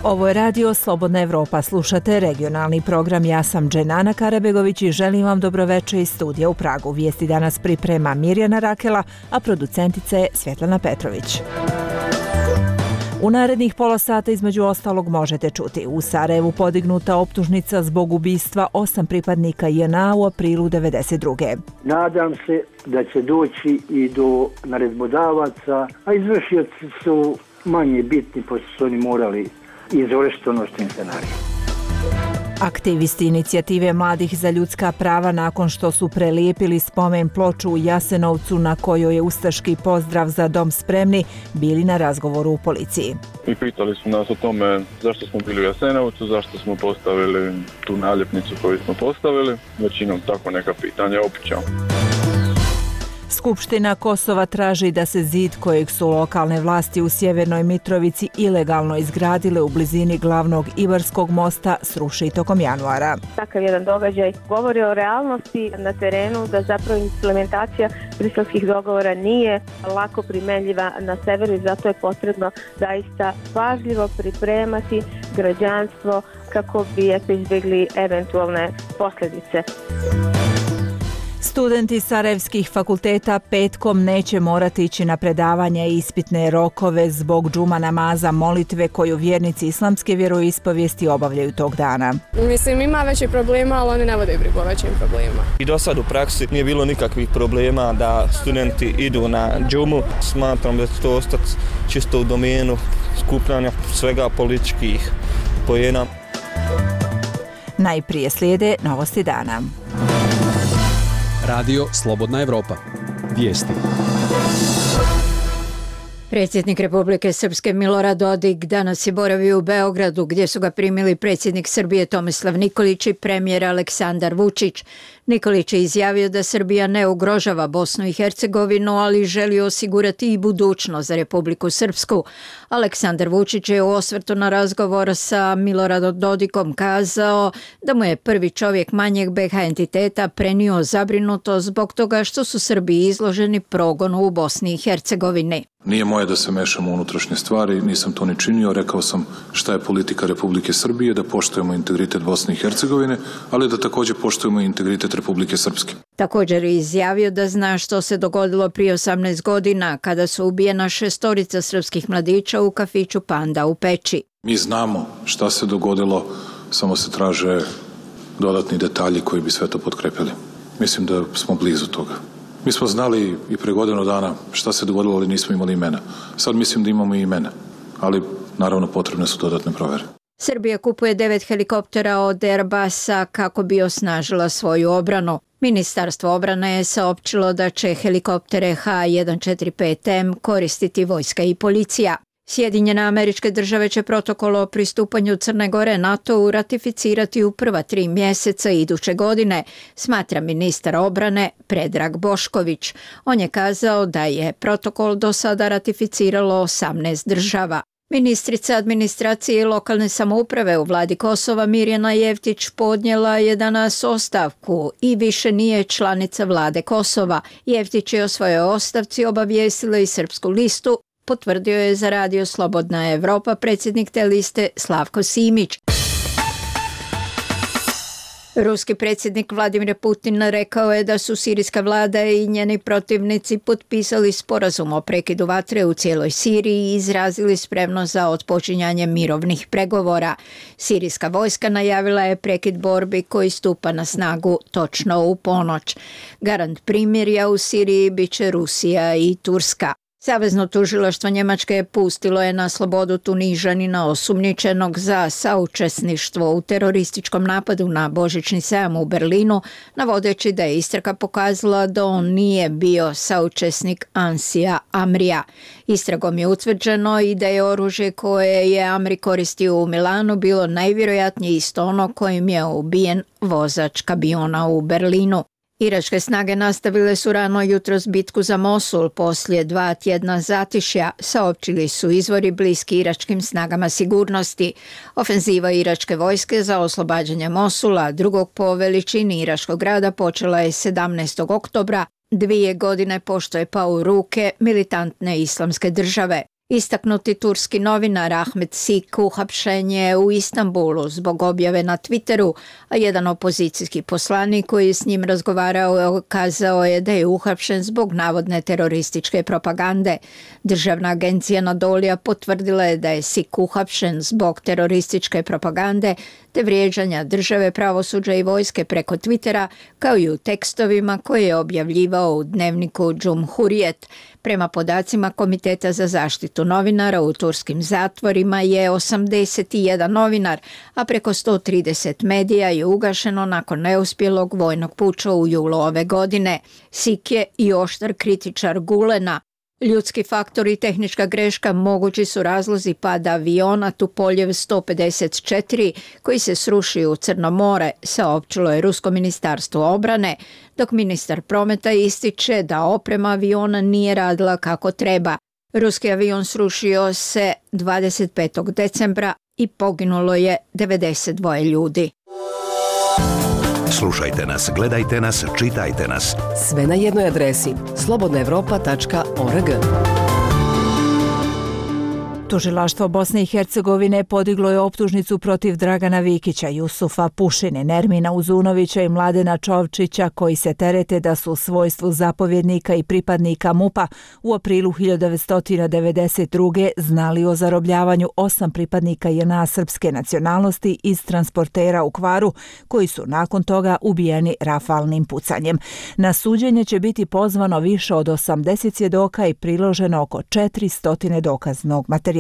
Ovo je radio Slobodna Evropa, slušate regionalni program. Ja sam Dženana Karabegović i želim vam dobroveče iz studija u Pragu. Vijesti danas priprema Mirjana Rakela, a producentica je Svjetlana Petrović. U narednih pola sata između ostalog možete čuti: u Sarajevu podignuta optužnica zbog ubistva 8 pripadnika JNA u aprilu 1992. Nadam se da će doći i do naredbodavaca, a izvršioci su manje bitni, pošto su oni morali izvršiti ono što im se naredio. Aktivisti inicijative Mladih za ljudska prava nakon što su prelijepili spomen ploču u Jasenovcu na kojoj je ustaški pozdrav za dom spremni, bili na razgovoru u policiji. I pitali su nas o tome zašto smo bili u Jasenovcu, zašto smo postavili tu naljepnicu koju smo postavili. Većinom tako neka pitanja opičao. Skupština Kosova traži da se zid kojeg su lokalne vlasti u Sjevernoj Mitrovici ilegalno izgradile u blizini glavnog Ibarskog mosta sruši tokom januara. Takav jedan događaj govori o realnosti na terenu, da zapravo implementacija briselskih dogovora nije lako primenljiva na severu i zato je potrebno zaista pažljivo pripremati građanstvo kako bi izbjegli eventualne posljedice. Studenti sarajevskih fakulteta petkom neće morati ići na predavanje i ispitne rokove zbog džuma namaza, molitve koju vjernici islamske vjeroispovijesti obavljaju tog dana. Mislim, ima većih problema, ali oni ne vode brigu o većim problemima. I do sad u praksi nije bilo nikakvih problema da studenti idu na džumu. Smatram da će to ostati čisto u domenu skupljanja svega političkih poena. Najprije slijede novosti dana. Radio Slobodna Evropa. Vijesti. Predsjednik Republike Srpske Milorad Dodik danas je boravio u Beogradu gdje su ga primili predsjednik Srbije Tomislav Nikolić i premijer Aleksandar Vučić. Nikolić je izjavio da Srbija ne ugrožava Bosnu i Hercegovinu, ali želi osigurati i budućnost za Republiku Srpsku. Aleksandar Vučić je u osvrtu na razgovor sa Miloradom Dodikom kazao da mu je prvi čovjek manjeg BiH entiteta prenio zabrinutost zbog toga što su Srbi izloženi progonu u Bosni i Hercegovini. Nije moje da se mešam u unutrašnje stvari, nisam to ni činio, rekao sam šta je politika Republike Srbije, da poštujemo integritet Bosne i Hercegovine, ali da također poštujemo integritet Republike Srpske. Također je izjavio da zna što se dogodilo prije 18 godina kada su ubijena 6 srpskih mladića u kafiću Panda u Peći. Mi znamo šta se dogodilo, samo se traže dodatni detalji koji bi sve to potkrepili. Mislim da smo blizu toga. Mi smo znali i pre godinu dana šta se dogodilo, ali nismo imali imena. Sad mislim da imamo i imena, ali naravno potrebne su dodatne provere. Srbija kupuje 9 helikoptera od Airbusa kako bi osnažila svoju obranu. Ministarstvo obrane je saopćilo da će helikoptere H145M koristiti vojska i policija. Sjedinjene Američke Države će protokol o pristupanju Crne Gore NATO-u ratificirati u prva 3 mjeseca iduće godine, smatra ministar obrane Predrag Bošković. On je kazao da je protokol do sada ratificiralo 18 država. Ministrica administracije i lokalne samouprave u vladi Kosova Mirjana Jevtić podnijela je danas ostavku i više nije članica vlade Kosova. Jevtić je o svojoj ostavci obavijestila i Srpsku listu, potvrdio je za radio Slobodna Evropa predsjednik te liste Slavko Simić. Ruski predsjednik Vladimir Putin rekao je da su sirijska vlada i njeni protivnici potpisali sporazum o prekidu vatre u cijeloj Siriji i izrazili spremnost za otpočinjanje mirovnih pregovora. Sirijska vojska najavila je prekid borbi koji stupa na snagu točno u ponoć. Garant primirja u Siriji bit će Rusija i Turska. Savezno tužilaštvo Njemačke pustilo je na slobodu Tunižanina osumnjičenog za saučesništvo u terorističkom napadu na Božićni sajam u Berlinu, navodeći da je istraga pokazala da on nije bio saučesnik Ansija Amrija. Istragom je utvrđeno i da je oružje koje je Amri koristio u Milanu bilo najvjerojatnije isto ono kojim je ubijen vozač kamiona u Berlinu. Iračke snage nastavile su rano jutros bitku za Mosul poslije 2 tjedna zatišja, saopćili su izvori bliski iračkim snagama sigurnosti. Ofenziva iračke vojske za oslobađanje Mosula, drugog po veličini iračkog grada, počela je 17. oktobra, 2 godine pošto je pao u ruke militantne islamske države. Istaknuti turski novinar Ahmet Sik uhapšen je u Istanbulu zbog objave na Twitteru, a jedan opozicijski poslanik koji je s njim razgovarao kazao je da je uhapšen zbog navodne terorističke propagande. Državna agencija Anadolija potvrdila je da je Sik uhapšen zbog terorističke propagande te vrijeđanja države, pravosuđa i vojske preko Twittera, kao i u tekstovima koje je objavljivao u dnevniku Cumhuriyet. Prema podacima Komiteta za zaštitu novinara, u turskim zatvorima je 81 novinar, a preko 130 medija je ugašeno nakon neuspjelog vojnog puča u julu ove godine. Sik je i oštar kritičar Gulena. Ljudski faktor i tehnička greška mogući su razlozi pada aviona Tupoljev 154 koji se srušio u Crno more, saopćilo je Rusko ministarstvo obrane, dok ministar prometa ističe da oprema aviona nije radila kako treba. Ruski avion srušio se 25. decembra i poginulo je 92 ljudi. Slušajte nas, gledajte nas, čitajte nas. Sve na jednoj adresi slobodnaevropa.org. Tužilaštvo Bosne i Hercegovine podiglo je optužnicu protiv Dragana Vikića, Jusufa Pušine, Nermina Uzunovića i Mladena Čovčića, koji se terete da su u svojstvu zapovjednika i pripadnika MUP-a u aprilu 1992. znali o zarobljavanju 8 pripadnika JNA srpske nacionalnosti iz transportera u Kvaru, koji su nakon toga ubijeni rafalnim pucanjem. Na suđenje će biti pozvano više od 80 svjedoka i priloženo oko 400 dokaznog materijala.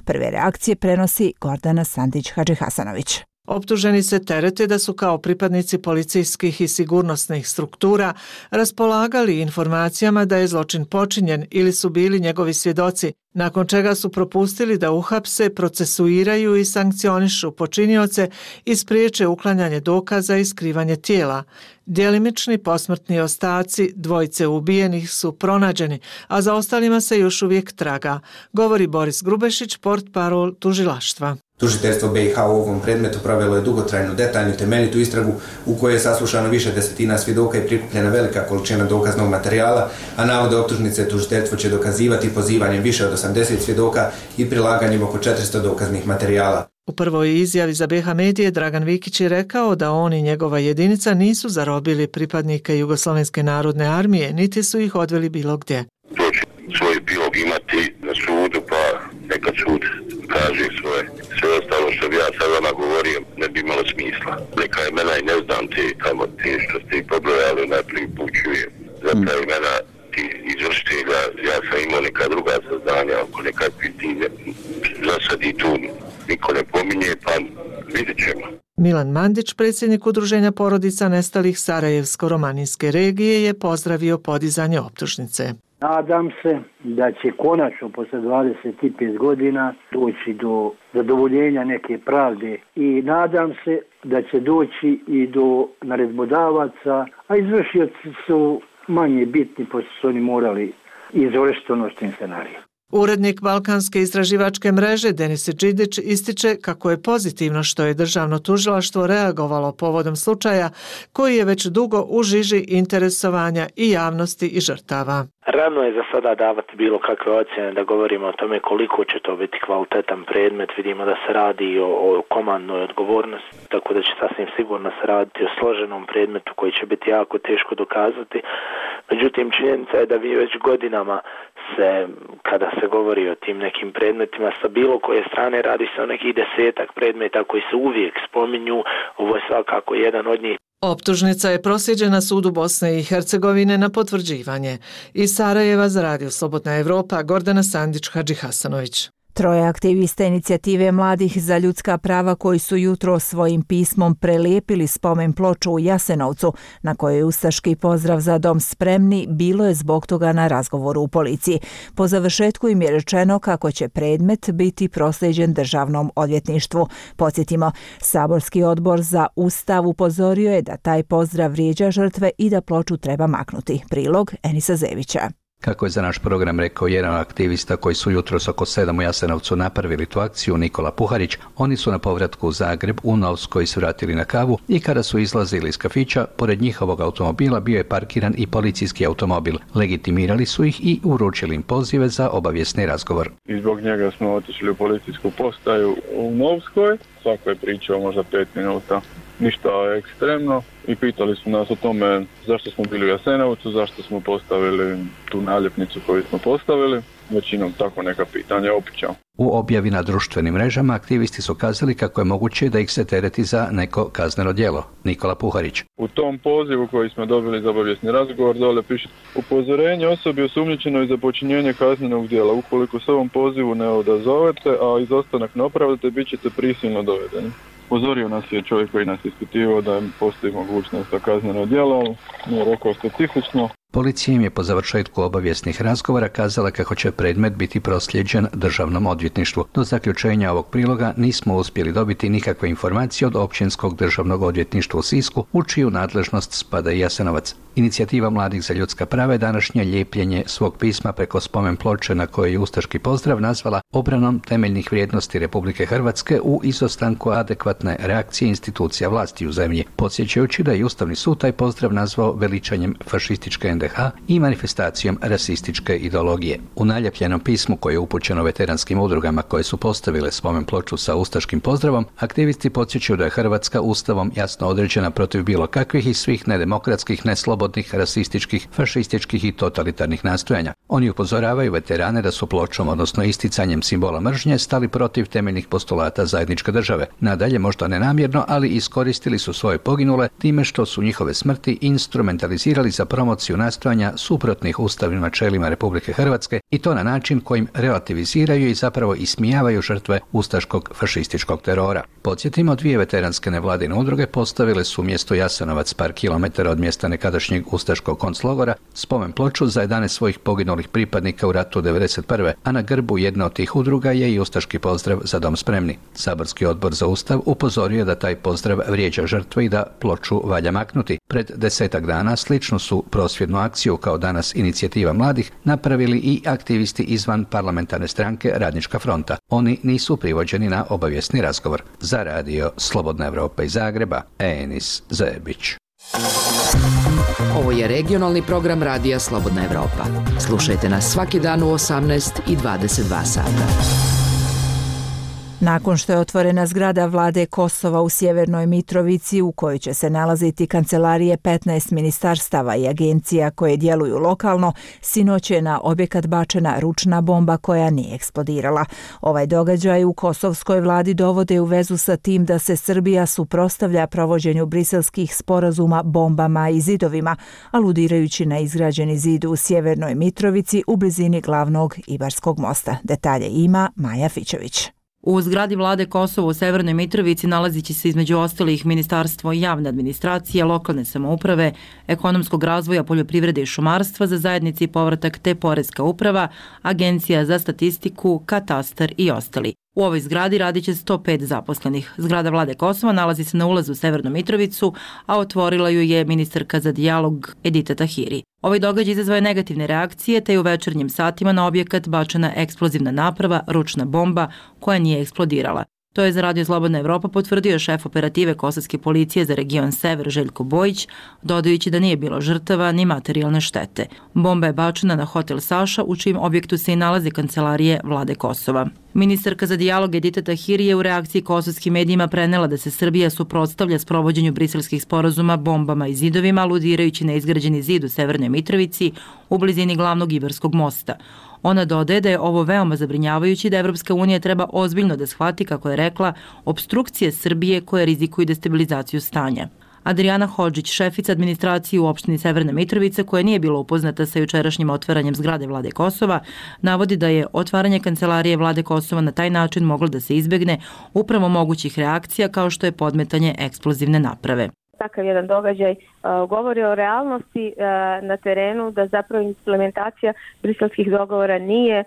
Prve reakcije prenosi Gordana Sandić-Hadžihasanović. Optuženi se terete da su kao pripadnici policijskih i sigurnosnih struktura raspolagali informacijama da je zločin počinjen ili su bili njegovi svjedoci, nakon čega su propustili da uhapse, procesuiraju i sankcionišu počinioce i spriječe uklanjanje dokaza i skrivanje tijela. Djelimični posmrtni ostaci dvojice ubijenih su pronađeni, a za ostalima se još uvijek traga, govori Boris Grubešić, portparol tužilaštva. Tužiteljstvo BiH u ovom predmetu provelo je dugotrajnu, detaljnu, temeljitu istragu u kojoj je saslušano više desetina svjedoka i prikupljena velika količina dokaznog materijala, a navode optužnice tužiteljstvo će dokazivati pozivanjem više od 80 svjedoka i prilaganjem oko 400 dokaznih materijala. U prvoj izjavi za BiH medije Dragan Vikić je rekao da on i njegova jedinica nisu zarobili pripadnike Jugoslovenske narodne armije, niti su ih odveli bilo gdje. To će svoj epilog imati na sudu, pa neka sud kaže svoje. Sve ostalo što bi ja sad vama govorio ne bi imalo smisla. Neka imena i ne znam te tamo te što ste ih pobrojali, najprije pućujem. Zapravo imena ti izvršitelja, ja sam imao neka druga saznanja oko nekakvih tine. Za sad i tu niko ne pominje, pa vidjet ćemo. Milan Mandić, predsjednik Udruženja porodica nestalih Sarajevsko-romanijske regije, je pozdravio podizanje optužnice. Nadam se da će konačno posle 25 godina doći do zadovoljenja neke pravde i nadam se da će doći i do naredbodavaca, a izvršioci su manje bitni, pošto su oni morali izvršiti ono što im se naredi. Urednik Balkanske istraživačke mreže Denis Džidić ističe kako je pozitivno što je državno tužilaštvo reagovalo povodom slučaja koji je već dugo u žiži interesovanja i javnosti i žrtava. Rano je za sada davati bilo kakve ocjene da govorimo o tome koliko će to biti kvalitetan predmet. Vidimo da se radi o komandnoj odgovornosti, tako da će sasvim sigurno se raditi o složenom predmetu koji će biti jako teško dokazati. Međutim, činjenica je da vi već godinama kada se govori o tim nekim predmetima sa bilo koje strane, radi se o nekih 10 predmeta koji se uvijek spominju. Ovo je svakako jedan od njih. Optužnica je proslijeđena sudu Bosne i Hercegovine na potvrđivanje. Iz Sarajeva za Radio Slobodna Evropa, Gordana Sandić-Hadžihasanović. Troje aktivista inicijative Mladih za ljudska prava koji su jutro svojim pismom prelijepili spomen ploču u Jasenovcu, na kojoj je ustaški pozdrav za dom spremni, bilo je zbog toga na razgovoru u policiji. Po završetku im je rečeno kako će predmet biti proslijeđen državnom odvjetništvu. Podsjetimo, Saborski odbor za Ustav upozorio je da taj pozdrav vrijeđa žrtve i da ploču treba maknuti. Prilog Enisa Zevića. Kako je za naš program rekao jedan aktivista koji su jutros oko 7 u Jasenovcu napravili tu akciju, Nikola Puharić, oni su na povratku u Zagreb u Novskoj se vratili na kavu i kada su izlazili iz kafića, pored njihovog automobila bio je parkiran i policijski automobil. Legitimirali su ih i uručili im pozive za obavijesni razgovor. I zbog njega smo otišli u policijsku postaju u Novskoj. Svako je pričao možda 5 minuta. Ništa ekstremno i pitali su nas o tome zašto smo bili u Jasenovcu, zašto smo postavili tu naljepnicu koju smo postavili. Većinom tako neka pitanja opića. U objavi na društvenim mrežama aktivisti su kazali kako je moguće da ih se tereti za neko kazneno djelo. Nikola Puharić. U tom pozivu koji smo dobili za obavijesni razgovor dole piše upozorenje osobi osumnjičenoj za počinjenje kaznenog djela. Ukoliko se ovom pozivu ne odazovete, a izostanak ne opravdate, bit ćete prisilno dovedeni. Upozorio nas je čovjek koji nas ispitivao da postoji mogućnost za kazneno djelo, nije rekao specifično. Policija im je po završetku obavijesnih razgovora kazala kako će predmet biti proslijeđen državnom odvjetništvu. Do zaključenja ovog priloga nismo uspjeli dobiti nikakve informacije od Općinskog državnog odvjetništva u Sisku, u čiju nadležnost spada i Jasenovac. Inicijativa Mladih za ljudska prava je današnje lijepljenje svog pisma preko spomen ploče na kojoj je ustaški pozdrav nazvala obranom temeljnih vrijednosti Republike Hrvatske u izostanku adekvatne reakcije institucija vlasti u zemlji, podsjećajući da je Ustavni sud taj pozdrav nazvao veličanjem fašističke NDH i manifestacijom rasističke ideologije. U naljepljenom pismu koje je upućeno veteranskim udrugama koje su postavile spomen ploču sa ustaškim pozdravom, aktivisti podsjećaju da je Hrvatska Ustavom jasno određena protiv bilo kakvih i svih nedemokratskih, neslobodnih, rasističkih, fašističkih i totalitarnih nastojanja. Oni upozoravaju veterane da su pločom, odnosno isticanjem simbola mržnje, stali protiv temeljnih postulata zajedničke države. Nadalje, možda nenamjerno, ali iskoristili su svoje poginule time što su njihove smrti instrumentalizirali za promociju nastojanja suprotnih ustavnim načelima Republike Hrvatske i to na način kojim relativiziraju i zapravo ismijavaju žrtve ustaškog fašističkog terora. Podsjetimo, 2 veteranske nevladine udruge postavile su mjesto Jasenovac par kilometara od mjesta nekadašnjeg ustaškog konclogora spomen ploču za 11 svojih poginulih pripadnika u ratu 1991. A na grbu jedne od tih udruga je i ustaški pozdrav Za dom spremni. Saborski odbor za Ustav upozorio da taj pozdrav vrijeđa žrtve i da ploču valja maknuti. Pred 10 dana sličnu su prosvjednu akciju kao danas Inicijativa mladih napravili i aktivisti izvan parlamentarne stranke Radnička fronta. Oni nisu privođeni na obavijesni razgovor. Za radio Slobodna Evropa iz Zagreba, Enis Zebić. Ovo je regionalni program radija Slobodna Evropa. Slušajte nas svaki dan u 18 i 22 sata. Nakon što je otvorena zgrada vlade Kosova u Sjevernoj Mitrovici u kojoj će se nalaziti kancelarije 15 ministarstava i agencija koje djeluju lokalno, sinoć je na objekat bačena ručna bomba koja nije eksplodirala. Ovaj događaj u kosovskoj vladi dovode u vezu sa tim da se Srbija suprotstavlja provođenju briselskih sporazuma bombama i zidovima, aludirajući na izgrađeni zid u Sjevernoj Mitrovici u blizini glavnog Ibarskog mosta. Detalje ima Maja Fićević. U zgradi vlade Kosova u Severnoj Mitrovici nalazit će se između ostalih ministarstvo javne administracije, lokalne samouprave, ekonomskog razvoja, poljoprivrede i šumarstva za zajednici i povratak te poreska uprava, agencija za statistiku, katastar i ostali. U ovoj zgradi radit će 105 zaposlenih. Zgrada vlade Kosova nalazi se na ulazu u Severnu Mitrovicu, a otvorila ju je ministarka za dijalog Edita Tahiri. Ovaj događaj izazvao je negativne reakcije, te je u večernjim satima na objekat bačena eksplozivna naprava, ručna bomba, koja nije eksplodirala. To je za Radio Slobodna Evropa potvrdio šef operative Kosovske policije za region Sever Željko Bojić, dodajući da nije bilo žrtava ni materijalne štete. Bomba je bačena na hotel Saša, u čijem objektu se i nalaze kancelarije vlade Kosova. Ministarka za dijalog Edita Tahiri je u reakciji kosovskim medijima prenela da se Srbija suprotstavlja sprovođenju briselskih sporazuma bombama i zidovima, aludirajući na izgrađeni zid u Severnoj Mitrovici u blizini glavnog Ibarskog mosta. Ona dodaje da je ovo veoma zabrinjavajući, da Evropska unija treba ozbiljno da shvati, kako je rekla, opstrukcije Srbije koje rizikuju destabilizaciju stanja. Adriana Hodžić, šefica administracije u opštini Severna Mitrovica, koja nije bila upoznata sa jučerašnjim otvaranjem zgrade vlade Kosova, navodi da je otvaranje kancelarije vlade Kosova na taj način moglo da se izbegne upravo mogućih reakcija kao što je podmetanje eksplozivne naprave. Takav jedan događaj govori o realnosti na terenu, da zapravo implementacija briselskih dogovora nije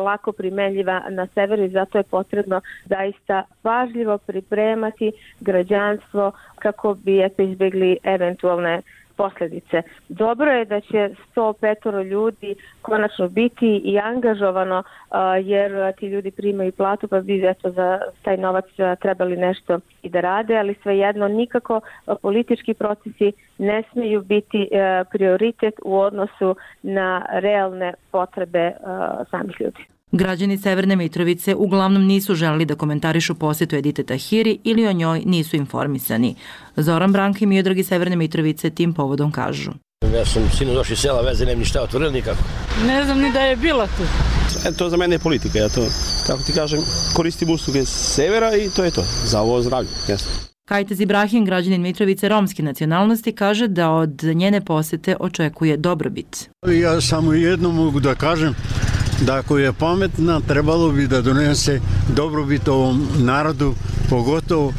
lako primenljiva na severu i zato je potrebno zaista pažljivo pripremati građanstvo kako bi izbjegli eventualne posljedice. Dobro je da će 105 ljudi konačno biti i angažovano, jer ti ljudi primaju platu, pa bi eto za taj novac trebali nešto i da rade, ali svejedno nikako politički procesi ne smiju biti prioritet u odnosu na realne potrebe samih ljudi. Građani Severne Mitrovice uglavnom nisu želeli da komentarišu posjetu Edite Tahiri ili o njoj nisu informisani. Zoran Branka i Miodrag iz Severne Mitrovice tim povodom kažu. Ja sam sinu došli iz sela, veze nem ništa otvorili nikako. Ne znam ni da je bila tu. To za mene je politika, ja to, kako ti kažem, koristim usluge severa i to je to, za ovo zdravlje. Jasno. Kajtez Ibrahim, građanin Mitrovice romske nacionalnosti, kaže da od njene posjete očekuje dobrobit. Ja samo jedno mogu da kažem, da ako je pametna, trebalo bi da donese dobrobit ovom narodu, pogotovo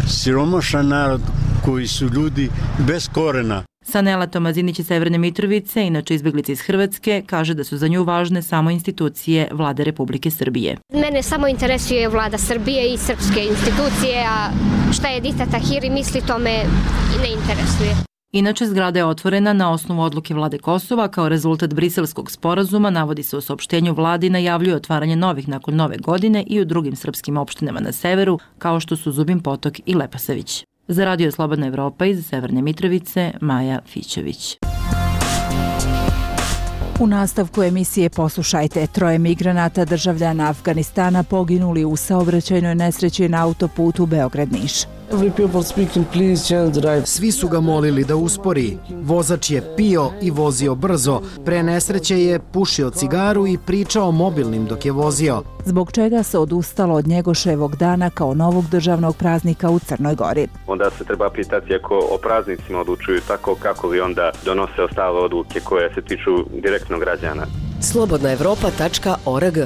siromašan narod koji su ljudi bez korena. Sanela Tomazinić iz Severne Mitrovice, inače izbjeglica iz Hrvatske, kaže da su za nju važne samo institucije Vlade Republike Srbije. Mene samo interesuje Vlada Srbije i srpske institucije, a šta je Edita Tahiri misli, to me ne interesuje. Inače, zgrada je otvorena na osnovu odluke Vlade Kosova kao rezultat briselskog sporazuma, navodi se u saopštenju vladi, najavljuje otvaranje novih nakon nove godine i u drugim srpskim opštinama na severu, kao što su Zubin Potok i Leposavić. Za Radio Slobodna Evropa iz Severne Mitrovice, Maja Fićević. U nastavku emisije poslušajte, 3 migranata državljana Afganistana poginuli u saobraćajnoj nesreći na autoputu Beograd-Niš. Svi su ga molili da uspori. Vozač je pio i vozio brzo. Pre nesreće je pušio cigaru i pričao mobilnim dok je vozio. Zbog čega se odustalo od Njegoševog dana kao novog državnog praznika u Crnoj Gori. Onda se treba pitati ako o praznicima odlučuju tako, kako li onda donose ostale odluke koje se tiču direktno građana. slobodnaevropa.org.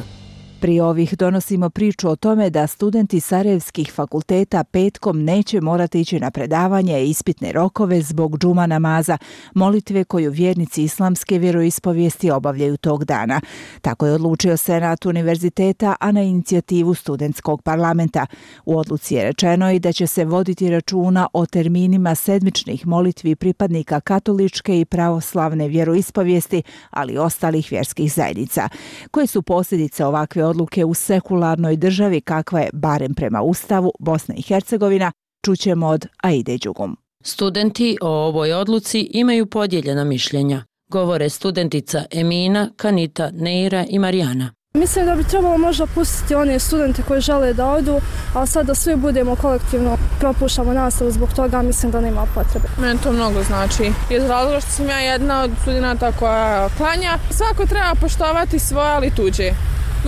Prije ovih donosimo priču o tome da studenti sarajevskih fakulteta petkom neće morati ići na predavanje i ispitne rokove zbog džuma namaza, molitve koju vjernici islamske vjeroispovijesti obavljaju tog dana. Tako je odlučio Senat univerziteta, a na inicijativu studentskog parlamenta. U odluci je rečeno i da će se voditi računa o terminima sedmičnih molitvi pripadnika katoličke i pravoslavne vjeroispovijesti, ali i ostalih vjerskih zajednica. Koje su posljedice ovakve odluke u sekularnoj državi kakva je, barem prema Ustavu, Bosna i Hercegovina, čućemo od Aide Đugum. Studenti o ovoj odluci imaju podijeljena mišljenja. Govore studentica Emina, Kanita, Neira i Marijana. Mislim da bi trebalo možda pustiti one studente koji žele da odu, a sad da svi budemo kolektivno propuštamo nastavu zbog toga, mislim da nema potrebe. Meni to mnogo znači. Iz razloga što sam ja jedna od studenta koja klanja. Svako treba poštovati svoje, ali tuđe.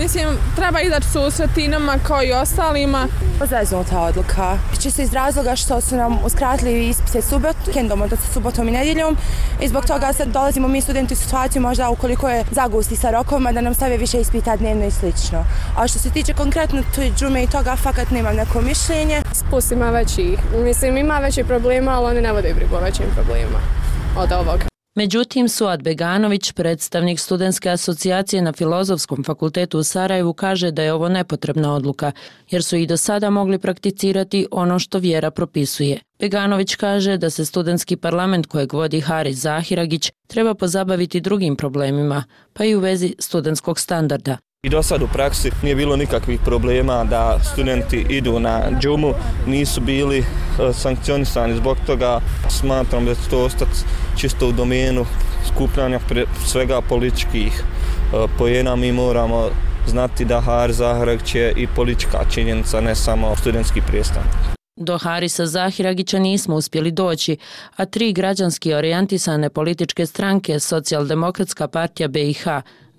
Mislim, treba izaći susret i nama kao i ostalima. Zeznuta odluka. Čisto iz razloga što su nam uskratili ispite vikendom, odnosno subotom i nedjeljom. I zbog toga sad dolazimo mi studenti u situaciju možda ukoliko je zagusti sa rokovima da nam stave više ispita dnevno i slično. A što se tiče konkretno džume i toga, fakat nemam neko mišljenje. Spust ima većih. Mislim, ima većih problema, ali oni ne vode brigu o većim problema od ovoga. Međutim, Suad Beganović, predstavnik Studentske asocijacije na Filozofskom fakultetu u Sarajevu, kaže da je ovo nepotrebna odluka, jer su i do sada mogli prakticirati ono što vjera propisuje. Beganović kaže da se studentski parlament kojeg vodi Haris Zahiragić treba pozabaviti drugim problemima, pa i u vezi studentskog standarda. I do sad u praksi nije bilo nikakvih problema da studenti idu na džumu, nisu bili sankcionisani zbog toga. Smatram da će to ostati čisto u domenu skupljanja svega političkih poena. Mi moramo znati da Haris Zahiragić je i politička činjenica, ne samo studentski predstavnik. Do Harisa Zahiragića nismo uspjeli doći, a 3 građanski orijentisane političke stranke, Socijaldemokratska partija BiH,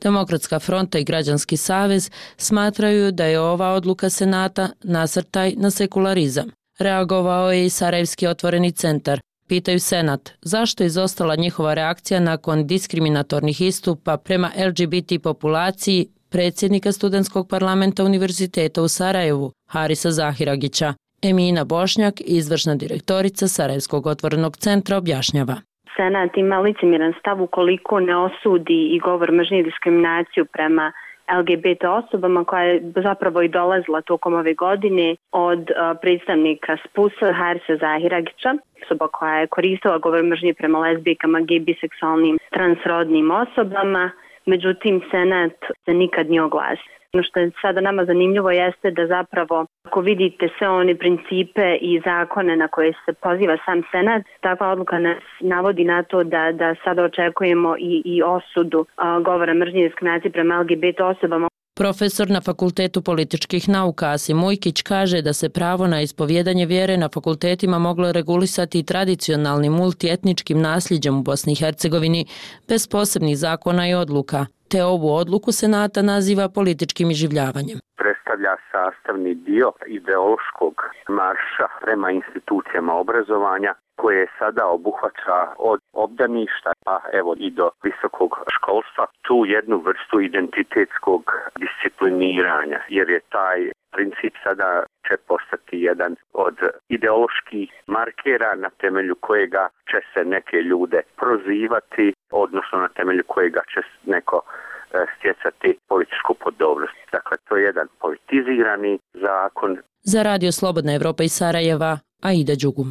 Demokratska fronta i Građanski savez, smatraju da je ova odluka Senata nasrtaj na sekularizam. Reagovao je i Sarajevski otvoreni centar. Pitaju Senat zašto je izostala njihova reakcija nakon diskriminatornih istupa prema LGBT populaciji predsjednika studentskog parlamenta Univerziteta u Sarajevu, Harisa Zahiragića. Emina Bošnjak, izvršna direktorica Sarajevskog otvorenog centra, objašnjava. Senat ima licemjeran stav ukoliko ne osudi i govor mržnje i diskriminaciju prema LGBT osobama koja je zapravo i dolazila tokom ove godine od predstavnika SPUS-a Harisa Zahiragića, osoba koja je koristila govor mržnje prema lezbijkama, gej, biseksualnim, transrodnim osobama. Međutim, Senat se nikad nije oglasio. Ono što je sada nama zanimljivo jeste da zapravo, ako vidite sve one principe i zakone na koje se poziva sam Senat, takva odluka nas navodi na to da sada očekujemo i osudu govora mržnje i diskriminacije prema LGBT osobama. Profesor na Fakultetu političkih nauka Asim Ujkić kaže da se pravo na ispovjedanje vjere na fakultetima moglo regulisati tradicionalnim multietničkim nasljeđem u Bosni i Hercegovini bez posebnih zakona i odluka, te ovu odluku Senata naziva političkim iživljavanjem. Predstavlja sastavni dio ideološkog marša prema institucijama obrazovanja koje sada obuhvaća od obdaništa pa evo i do visokog školstva tu jednu vrstu identitetskog discipliniranja, jer je taj princip sada će postati jedan od ideoloških markera na temelju kojega će se neke ljude prozivati, odnosno na temelju kojega će neko stjecati političku podobnost. Dakle, to je jedan politizirani zakon. Za Radio Slobodna Evropa iz Sarajeva, Aida Đugum.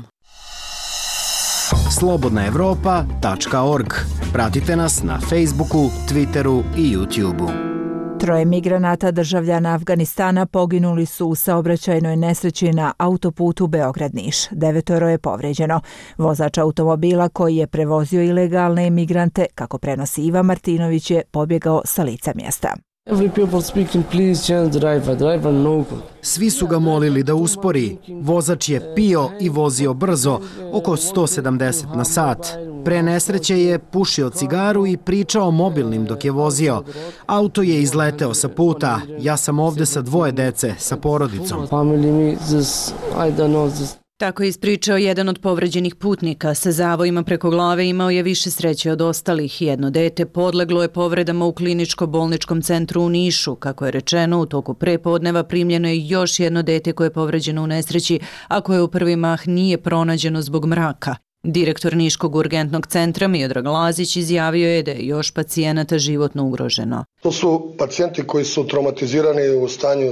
slobodnaevropa.org. Pratite nas na Facebooku, Twitteru i YouTubeu. 3 migranata državljana Afganistana poginuli su u saobraćajnoj nesreći na autoputu Beograd-Niš. 9 je povređeno. Vozač automobila koji je prevozio ilegalne imigrante, kako prenosi Iva Martinović, je pobjegao sa lica mjesta. Svi su ga molili da uspori. Vozač je pio i vozio brzo, oko 170 na sat. Pre nesreće je pušio cigaru i pričao mobilnim dok je vozio. Auto je izleteo sa puta. Ja sam ovde sa 2 dece, sa porodicom. Tako je ispričao jedan od povređenih putnika. Sa zavojima preko glave imao je više sreće od ostalih. Jedno dete podleglo je povredama u kliničko-bolničkom centru u Nišu. Kako je rečeno, u toku prepodneva primljeno je još jedno dete koje je povređeno u nesreći, a koje u prvi mah nije pronađeno zbog mraka. Direktor Niškog urgentnog centra Miodrag Lazić izjavio je da je još pacijenata životno ugroženo. To su pacijenti koji su traumatizirani u stanju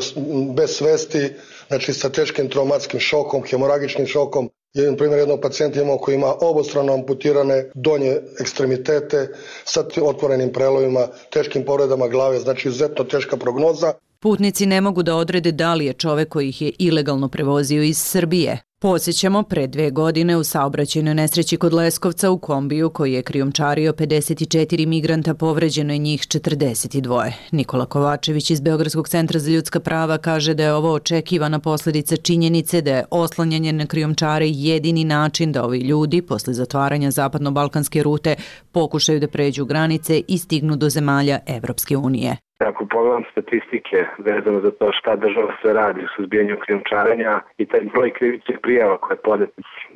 bez svesti, znači sa teškim traumatskim šokom, hemoragičnim šokom. Jedan primjer jednog pacijenta imamo koji ima obostrano amputirane donje ekstremitete sa otvorenim prelovima, teškim povredama glave, znači izuzetno teška prognoza. Putnici ne mogu da odrede da li je čovek koji ih je ilegalno prevozio iz Srbije. Podsjećamo, pre 2 godine u saobraćajnoj nesreći kod Leskovca u kombiju koji je krijumčario 54 migranta povređeno je njih 42. Nikola Kovačević iz Beogradskog centra za ljudska prava kaže da je ovo očekivana posljedica činjenice da je oslanjanje na krijumčare jedini način da ovi ljudi posle zatvaranja zapadno-balkanske rute pokušaju da pređu granice i stignu do zemalja Evropske unije. Ako pogledam statistike vezano za to šta država sve radi u suzbijanju krijumčarenja i taj broj krivičnih prijava koje je podet,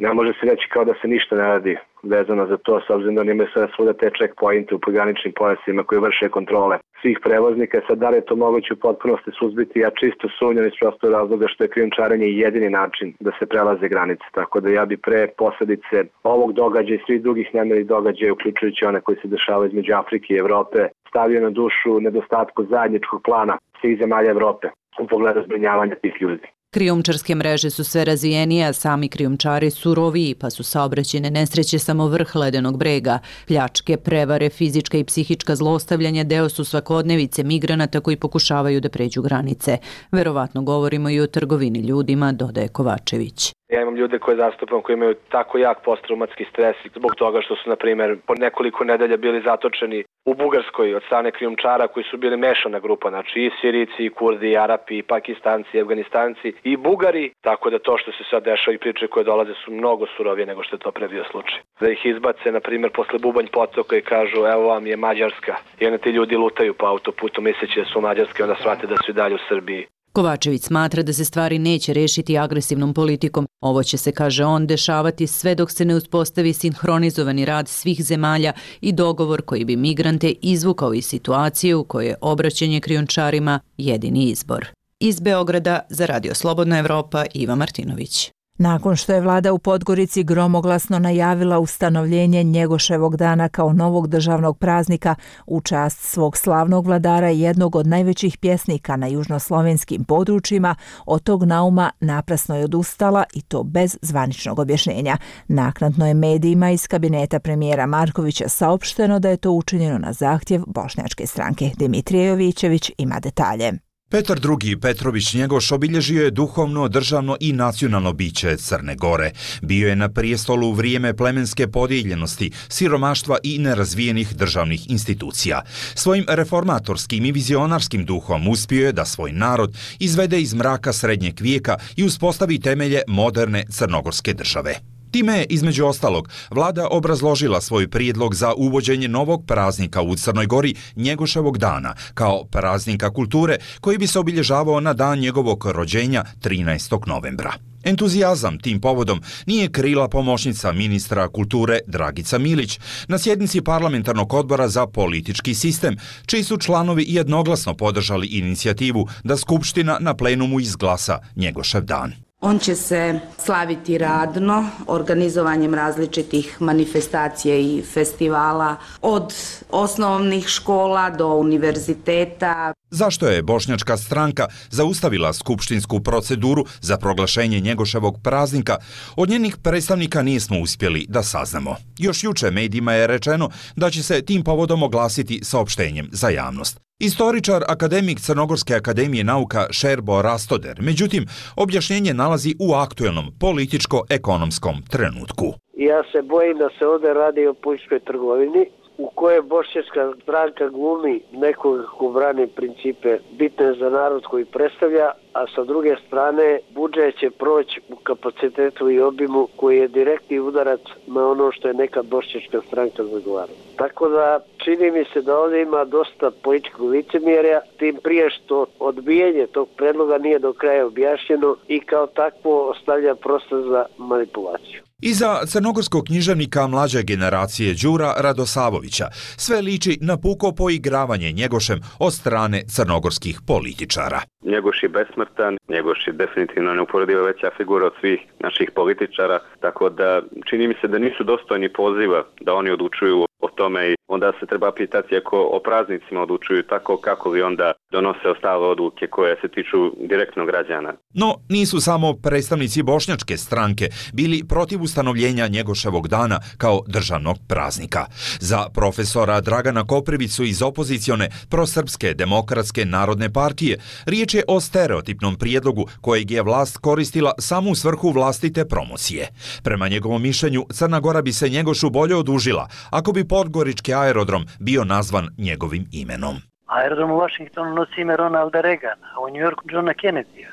ne može se reći kao da se ništa ne radi vezano za to, s obzirom da imaju sada svuda te checkpointe u pograničnim pojasima koji vrše kontrole svih prevoznika. Sad da li je to moguće u potpunosti suzbiti? Ja čisto sumnjam iz prostog razloga što je krijumčarenje jedini način da se prelaze granice. Tako da ja bi pre posljedice ovog događaja i svih drugih nemirnih događaja, uključujući one koji se dešavaju između Afrike i Evrope, stavio na dušu nedostatku zajedničkog plana svih zemalja Evrope u pogledu zbrinjavanja tih ljudi. Krijumčarske mreže su sve razvijenije, a sami krijumčari suroviji, pa su saobraćajne nesreće samo vrh ledenog brega. Pljačke, prevare, fizička i psihička zlostavljanja deo su svakodnevice migranata koji pokušavaju da pređu granice. Verovatno govorimo i o trgovini ljudima, dodaje Kovačević. Ja imam ljude koje zastupam koji imaju tako jak posttraumatski stres zbog toga što su, na primjer, po nekoliko nedelja bili zatočeni u Bugarskoj od strane krijumčara koji su bili mešana grupa, znači i Sirici, i Kurdi, i Arapi, i Pakistanci, i Afganistanci, i Bugari, tako da to što se sad dešava i priče koje dolaze su mnogo surovije nego što je to pre bio slučaj. Da ih izbace, na primjer, posle Bubanj potoka i kažu evo vam je Mađarska i onda ti ljudi lutaju po autoputu misleći da su Mađarske, onda shvate da su i dalje u Srbiji. Kovačević smatra da se stvari neće rešiti agresivnom politikom. Ovo će se, kaže on, dešavati sve dok se ne uspostavi sinhronizovani rad svih zemalja i dogovor koji bi migrante izvukao iz situacije u kojoj je obraćanje krijumčarima jedini izbor. Iz Beograda za Radio Slobodna Evropa, Iva Martinović. Nakon što je vlada u Podgorici gromoglasno najavila ustanovljenje Njegoševog dana kao novog državnog praznika u čast svog slavnog vladara i jednog od najvećih pjesnika na južnoslovenskim područjima, od tog nauma naprasno je odustala i to bez zvaničnog objašnjenja. Naknadno je medijima iz kabineta premijera Markovića saopšteno da je to učinjeno na zahtjev bošnjačke stranke. Dimitrije Jovićević ima detalje. Petar II. Petrović Njegoš obilježio je duhovno, državno i nacionalno biće Crne Gore. Bio je na prijestolu u vrijeme plemenske podijeljenosti, siromaštva i nerazvijenih državnih institucija. Svojim reformatorskim i vizionarskim duhom uspio je da svoj narod izvede iz mraka srednjeg vijeka i uspostavi temelje moderne crnogorske države. Time je, između ostalog, vlada obrazložila svoj prijedlog za uvođenje novog praznika u Crnoj Gori, Njegoševog dana, kao praznika kulture koji bi se obilježavao na dan njegovog rođenja 13. novembra. Entuzijazam tim povodom nije krila pomoćnica ministra kulture Dragica Milić na sjednici parlamentarnog odbora za politički sistem, čiji su članovi jednoglasno podržali inicijativu da Skupština na plenumu izglasa Njegošev dan. On će se slaviti radno, organizovanjem različitih manifestacija i festivala od osnovnih škola do univerziteta. Zašto je bošnjačka stranka zaustavila skupštinsku proceduru za proglašenje Njegoševog praznika, od njenih predstavnika nismo uspjeli da saznamo. Još juče medijima je rečeno da će se tim povodom oglasiti saopštenjem za javnost. Istoričar, akademik Crnogorske akademije nauka Šerbo Rastoder, međutim, objašnjenje nalazi u aktuelnom političko-ekonomskom trenutku. Ja se bojim da se ovdje radi o političkoj trgovini u kojoj bošnjačka stranka glumi nekoga ko brani principe bitne za narod koji predstavlja, a sa druge strane budžet će proći u kapacitetu i obimu koji je direktni udarac na ono što je nekad bošnjačka stranka zagovarala. Tako da čini mi se da ovdje ima dosta političkog licemjerja, tim prije što odbijanje tog predloga nije do kraja objašnjeno i kao takvo ostavlja prostor za manipulaciju. Iza crnogorskog književnika mlađe generacije Đura Radosavovića sve liči na puko poigravanje Njegošem od strane crnogorskih političara. Njegoš je besmrtan, Njegoš je definitivno neuporedivo veća figura od svih naših političara, tako da čini mi se da nisu dostojni poziva da oni odlučuju o tome i onda se treba pitati ako o praznicima odlučuju tako, kako li onda donose ostale odluke koje se tiču direktno građana. No, nisu samo predstavnici bošnjačke stranke bili protiv ustanovljenja Njegoševog dana kao državnog praznika. Za profesora Dragana Koprivicu iz opozicione prosrpske demokratske narodne partije riječ je o stereotipnom prijedlogu kojeg je vlast koristila samo u svrhu vlastite promocije. Prema njegovom mišljenju, Crna Gora bi se Njegošu bolje odužila ako bi podgorički aerodrom bio nazvan njegovim imenom. Aerodrom u Washingtonu nosi ime Ronalda Reagana, a u New Yorku Johna Kennedya,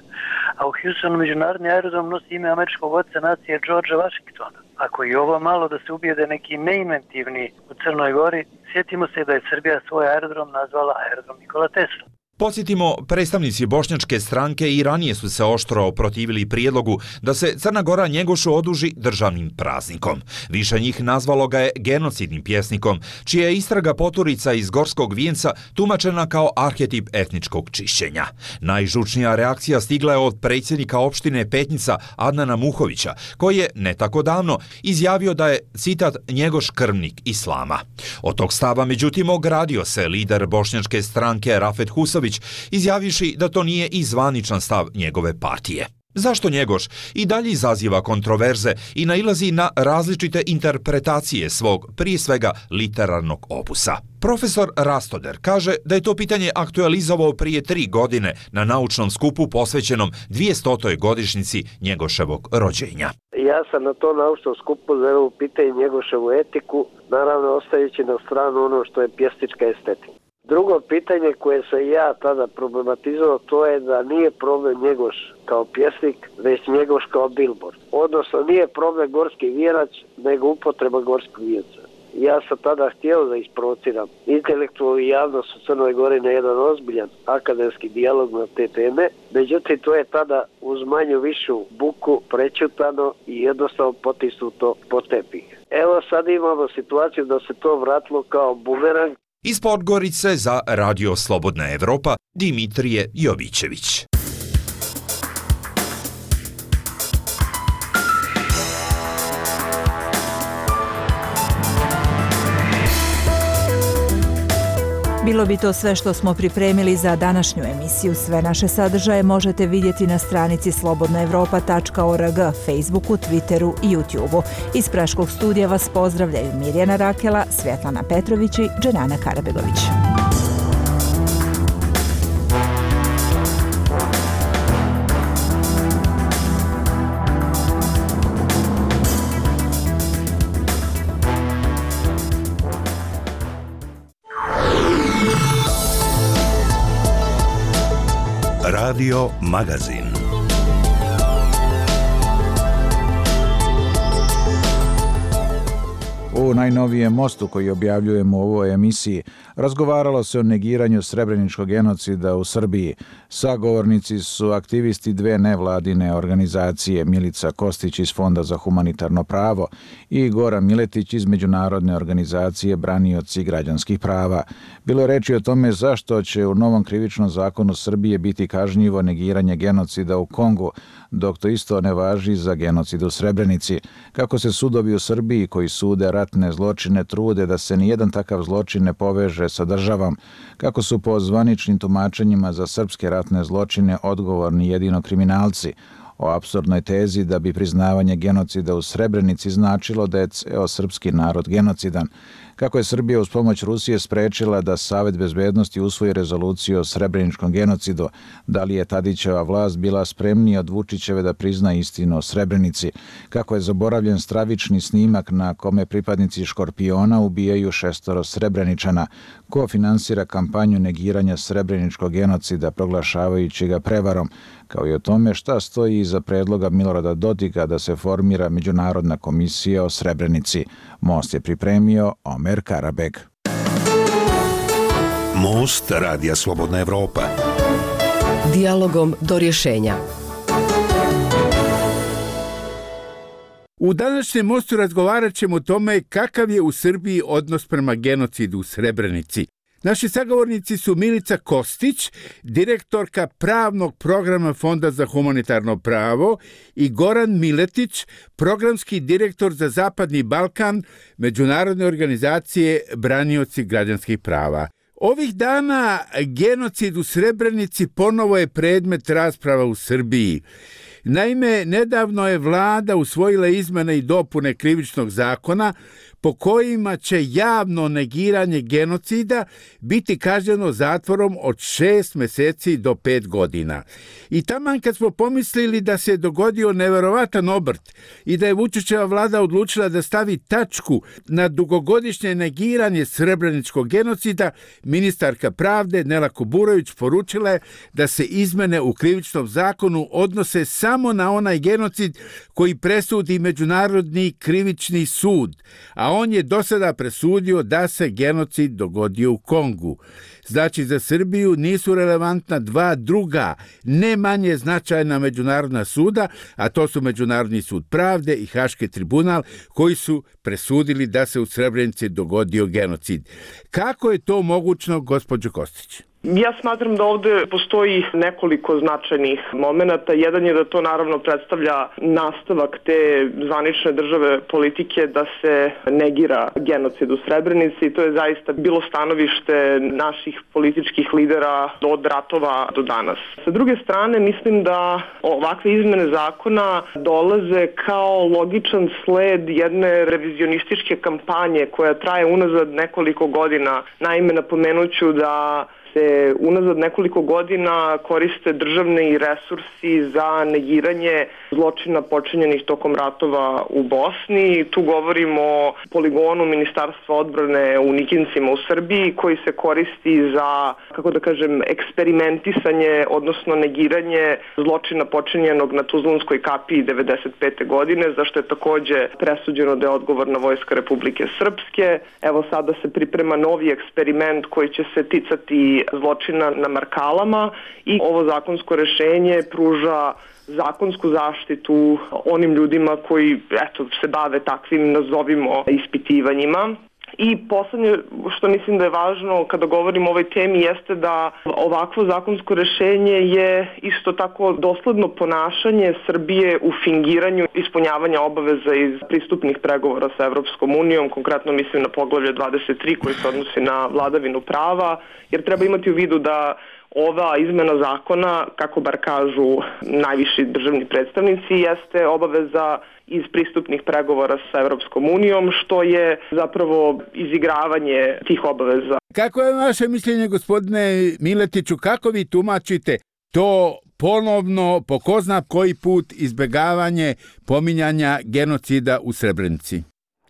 a u Houstonu međunarodni aerodrom nosi ime američkog oca nacije Georgea Washingtona. Ako je ovo malo da se ubijede neki neinventivni u Crnoj Gori, sjetimo se da je Srbija svoj aerodrom nazvala aerodrom Nikola Tesla. Podsjetimo, predstavnici bošnjačke stranke i ranije su se oštro protivili prijedlogu da se Crna Gora Njegošu oduži državnim praznikom. Više njih nazvalo ga je genocidnim pjesnikom, čija je istraga poturica iz Gorskog vijenca tumačena kao arhetip etničkog čišćenja. Najžučnija reakcija stigla je od predsjednika opštine Petnica Adnana Muhovića, koji je ne tako davno izjavio da je, citat, Njegoš krvnik islama. Od tog stava, međutim, ogradio se lider bošnjačke stranke Rafet Husović, izjavivši da to nije i zvaničan stav njegove partije. Zašto Njegoš i dalje izaziva kontroverze i nailazi na različite interpretacije svog, prije svega, literarnog opusa? Profesor Rastoder kaže da je to pitanje aktualizovao prije 3 godine na naučnom skupu posvećenom 200. godišnjici Njegoševog rođenja. Ja sam na to naučnom skupu zaveo pitanje Njegoševu etiku, naravno ostajući na stranu ono što je pjesnička estetika. Drugo pitanje koje sam ja tada problematizovao, to je da nije problem Njegoš kao pjesnik, već Njegoš kao billboard. Odnosno nije problem gorski vijenac, nego upotreba gorskog vijenca. Ja sam tada htio da isprovociram intelektualnu javnost u Crnoj Gori na jedan ozbiljan akademski dijalog na te teme. Međutim, to je tada uz manju višu buku prećutano i jednostavno potisnuto po tepih. Evo sad imamo situaciju da se to vratilo kao bumerang. Iz Podgorice za Radio Slobodna Evropa, Dimitrije Jovićević. Bilo bi to sve što smo pripremili za današnju emisiju. Sve naše sadržaje možete vidjeti na stranici slobodnaevropa.org, Facebooku, Twitteru i YouTubeu. Iz Praškog studija vas pozdravljaju Mirjana Rakela, Svjetlana Petrović i Dženana Karabegović. Radio Magazin. U najnovijem mostu koji objavljujemo u ovoj emisiji razgovaralo se o negiranju srebreničkog genocida u Srbiji. Sagovornici su aktivisti dve nevladine organizacije, Milica Kostić iz Fonda za humanitarno pravo i Goran Miletić iz Međunarodne organizacije Branioci građanskih prava. Bilo je reči o tome zašto će u novom krivičnom zakonu Srbije biti kažnjivo negiranje genocida u Kongu, dok to isto ne važi za genocid u Srebrenici. Kako se sudovi u Srbiji koji sude ratne zločine trude da se nijedan takav zločin ne poveže sa državom, kako su po zvaničnim tumačenjima za srpske ratne zločine odgovorni jedino kriminalci, o apsurdnoj tezi da bi priznavanje genocida u Srebrenici značilo da je ceo srpski narod genocidan, kako je Srbija uz pomoć Rusije sprečila da Savet bezbednosti usvoji rezoluciju o srebreničkom genocidu, da li je Tadićeva vlast bila spremnija od Vučićeve da prizna istinu o Srebrenici, kako je zaboravljen stravični snimak na kome pripadnici Škorpiona ubijaju 6 Srebreničana, ko finansira kampanju negiranja srebreničkog genocida proglašavajući ga prevarom, kao i o tome šta stoji iza predloga Milorada Dodika da se formira Međunarodna komisija o Srebrenici. Most je pripremio Omer Karabeg. Most Radija Slobodna Evropa. Dijalogom do rješenja. U današnjem mostu razgovarat ćemo o tome kakav je u Srbiji odnos prema genocidu u Srebrenici. Naši sagovornici su Milica Kostić, direktorka pravnog programa Fonda za humanitarno pravo, i Goran Miletić, programski direktor za Zapadni Balkan Međunarodne organizacije Branioci građanskih prava. Ovih dana genocid u Srebrenici ponovo je predmet rasprava u Srbiji. Naime, nedavno je vlada usvojila izmene i dopune krivičnog zakona po kojima će javno negiranje genocida biti kažnjeno zatvorom od 6 mjeseci do 5 godina. I taman kad smo pomislili da se dogodio neverovatan obrt i da je Vučićeva vlada odlučila da stavi tačku na dugogodišnje negiranje srebreničkog genocida, ministarka pravde Nela Kuburović poručila je da se izmene u krivičnom zakonu odnose samo na onaj genocid koji presudi Međunarodni krivični sud, a on je do sada presudio da se genocid dogodio u Kongu. Znači, za Srbiju nisu relevantna dva druga, ne manje značajna međunarodna suda, a to su Međunarodni sud pravde i Haški tribunal, koji su presudili da se u Srebrenici dogodio genocid. Kako je to mogućno, gospođo Kostić? Ja smatram da ovdje postoji nekoliko značajnih momenata. Jedan je da to naravno predstavlja nastavak te zvanične države politike da se negira genocid u Srebrenici i to je zaista bilo stanovište naših političkih lidera od ratova do danas. Sa druge strane, mislim da ovakve izmene zakona dolaze kao logičan sled jedne revizionističke kampanje koja traje unazad nekoliko godina. Naime, napomenuću da se unazad nekoliko godina koriste državni resursi za negiranje zločina počinjenih tokom ratova u Bosni. Tu govorimo o poligonu Ministarstva odbrane u Nikincima u Srbiji koji se koristi za, eksperimentisanje, odnosno negiranje zločina počinjenog na Tuzlanskoj kapiji 1995. godine, za što je također presuđeno da je odgovorna Vojska Republike Srpske. Evo sada se priprema novi eksperiment koji će se ticati zločina na Markalama i ovo zakonsko rešenje pruža zakonsku zaštitu onim ljudima koji se bave takvim, nazovimo, ispitivanjima. I poslednje što mislim da je važno kada govorimo o ovoj temi jeste da ovakvo zakonsko rešenje je isto tako dosledno ponašanje Srbije u fingiranju ispunjavanja obaveza iz pristupnih pregovora sa Evropskom unijom, konkretno mislim na poglavlje 23 koji se odnosi na vladavinu prava, jer treba imati u vidu da ova izmena zakona, kako bar kažu najviši državni predstavnici, jeste obaveza iz pristupnih pregovora sa Evropskom unijom, što je zapravo izigravanje tih obaveza. Kako je vaše mišljenje, gospodine Miletiću, kako vi tumačite to ponovno, po ko zna koji put, izbegavanje pominjanja genocida u Srebrenici?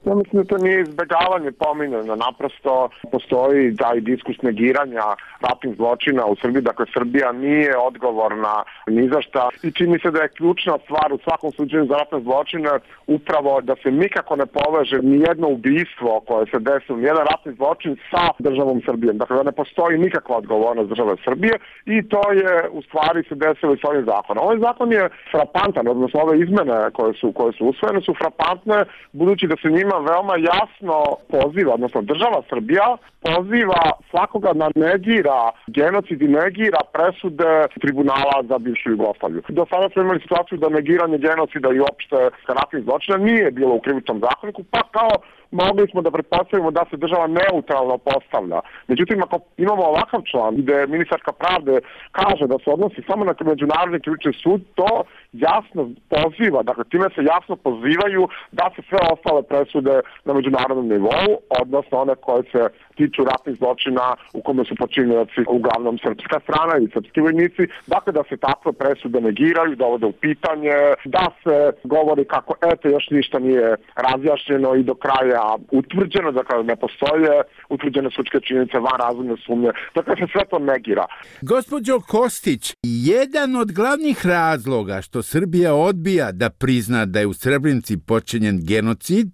Ja mislim da to nije izbegavanje pominjanja, naprosto postoji taj diskus negiranja ratnih zločina u Srbiji, dakle Srbija nije odgovorna ni za šta i čini se da je ključna stvar u svakom slučaju za ratne zločine upravo da se nikako ne poveže ni jedno ubistvo koje se desilo, ni jedan ratni zločin sa državom Srbijom, dakle da ne postoji nikakva odgovornost države Srbije i to je u stvari se desilo i s ovim zakonom. Ovaj zakon je frapantan, odnosno ove izmene koje su usvojene su frapantne budući da se njima veoma jasno poziva, odnosno država Srbija poziva svakoga da negira genocid i negira presude tribunala za bivšu Jugoslaviju. Do sada smo imali situaciju da negiranje genocida i uopšte ratnih zločina nije bilo u krivičnom zakoniku, pa kao mogli smo da pretpostavimo da se država neutralno postavlja. Međutim, ako imamo ovakav član gde ministarka pravde kaže da se odnosi samo na međunarodni krivični sud, to jasno poziva, dakle time se jasno pozivaju da se sve ostale presude na međunarodnom nivou, odnosno one koje se tiču ratnih zločina u kome su počinioci uglavnom srpska strana i srpski vojnici, dakle da se takve presude negiraju, dovode u pitanje, da se govori kako još ništa nije razjašnjeno i do kraja utvrđeno, dakle ne postoje utvrđene sudske činjenice van razumne sumnje, dakle se sve to negira. Gospođo Kostić, jedan od glavnih razloga što Srbija odbija da prizna da je u Srebrenici počinjen genocid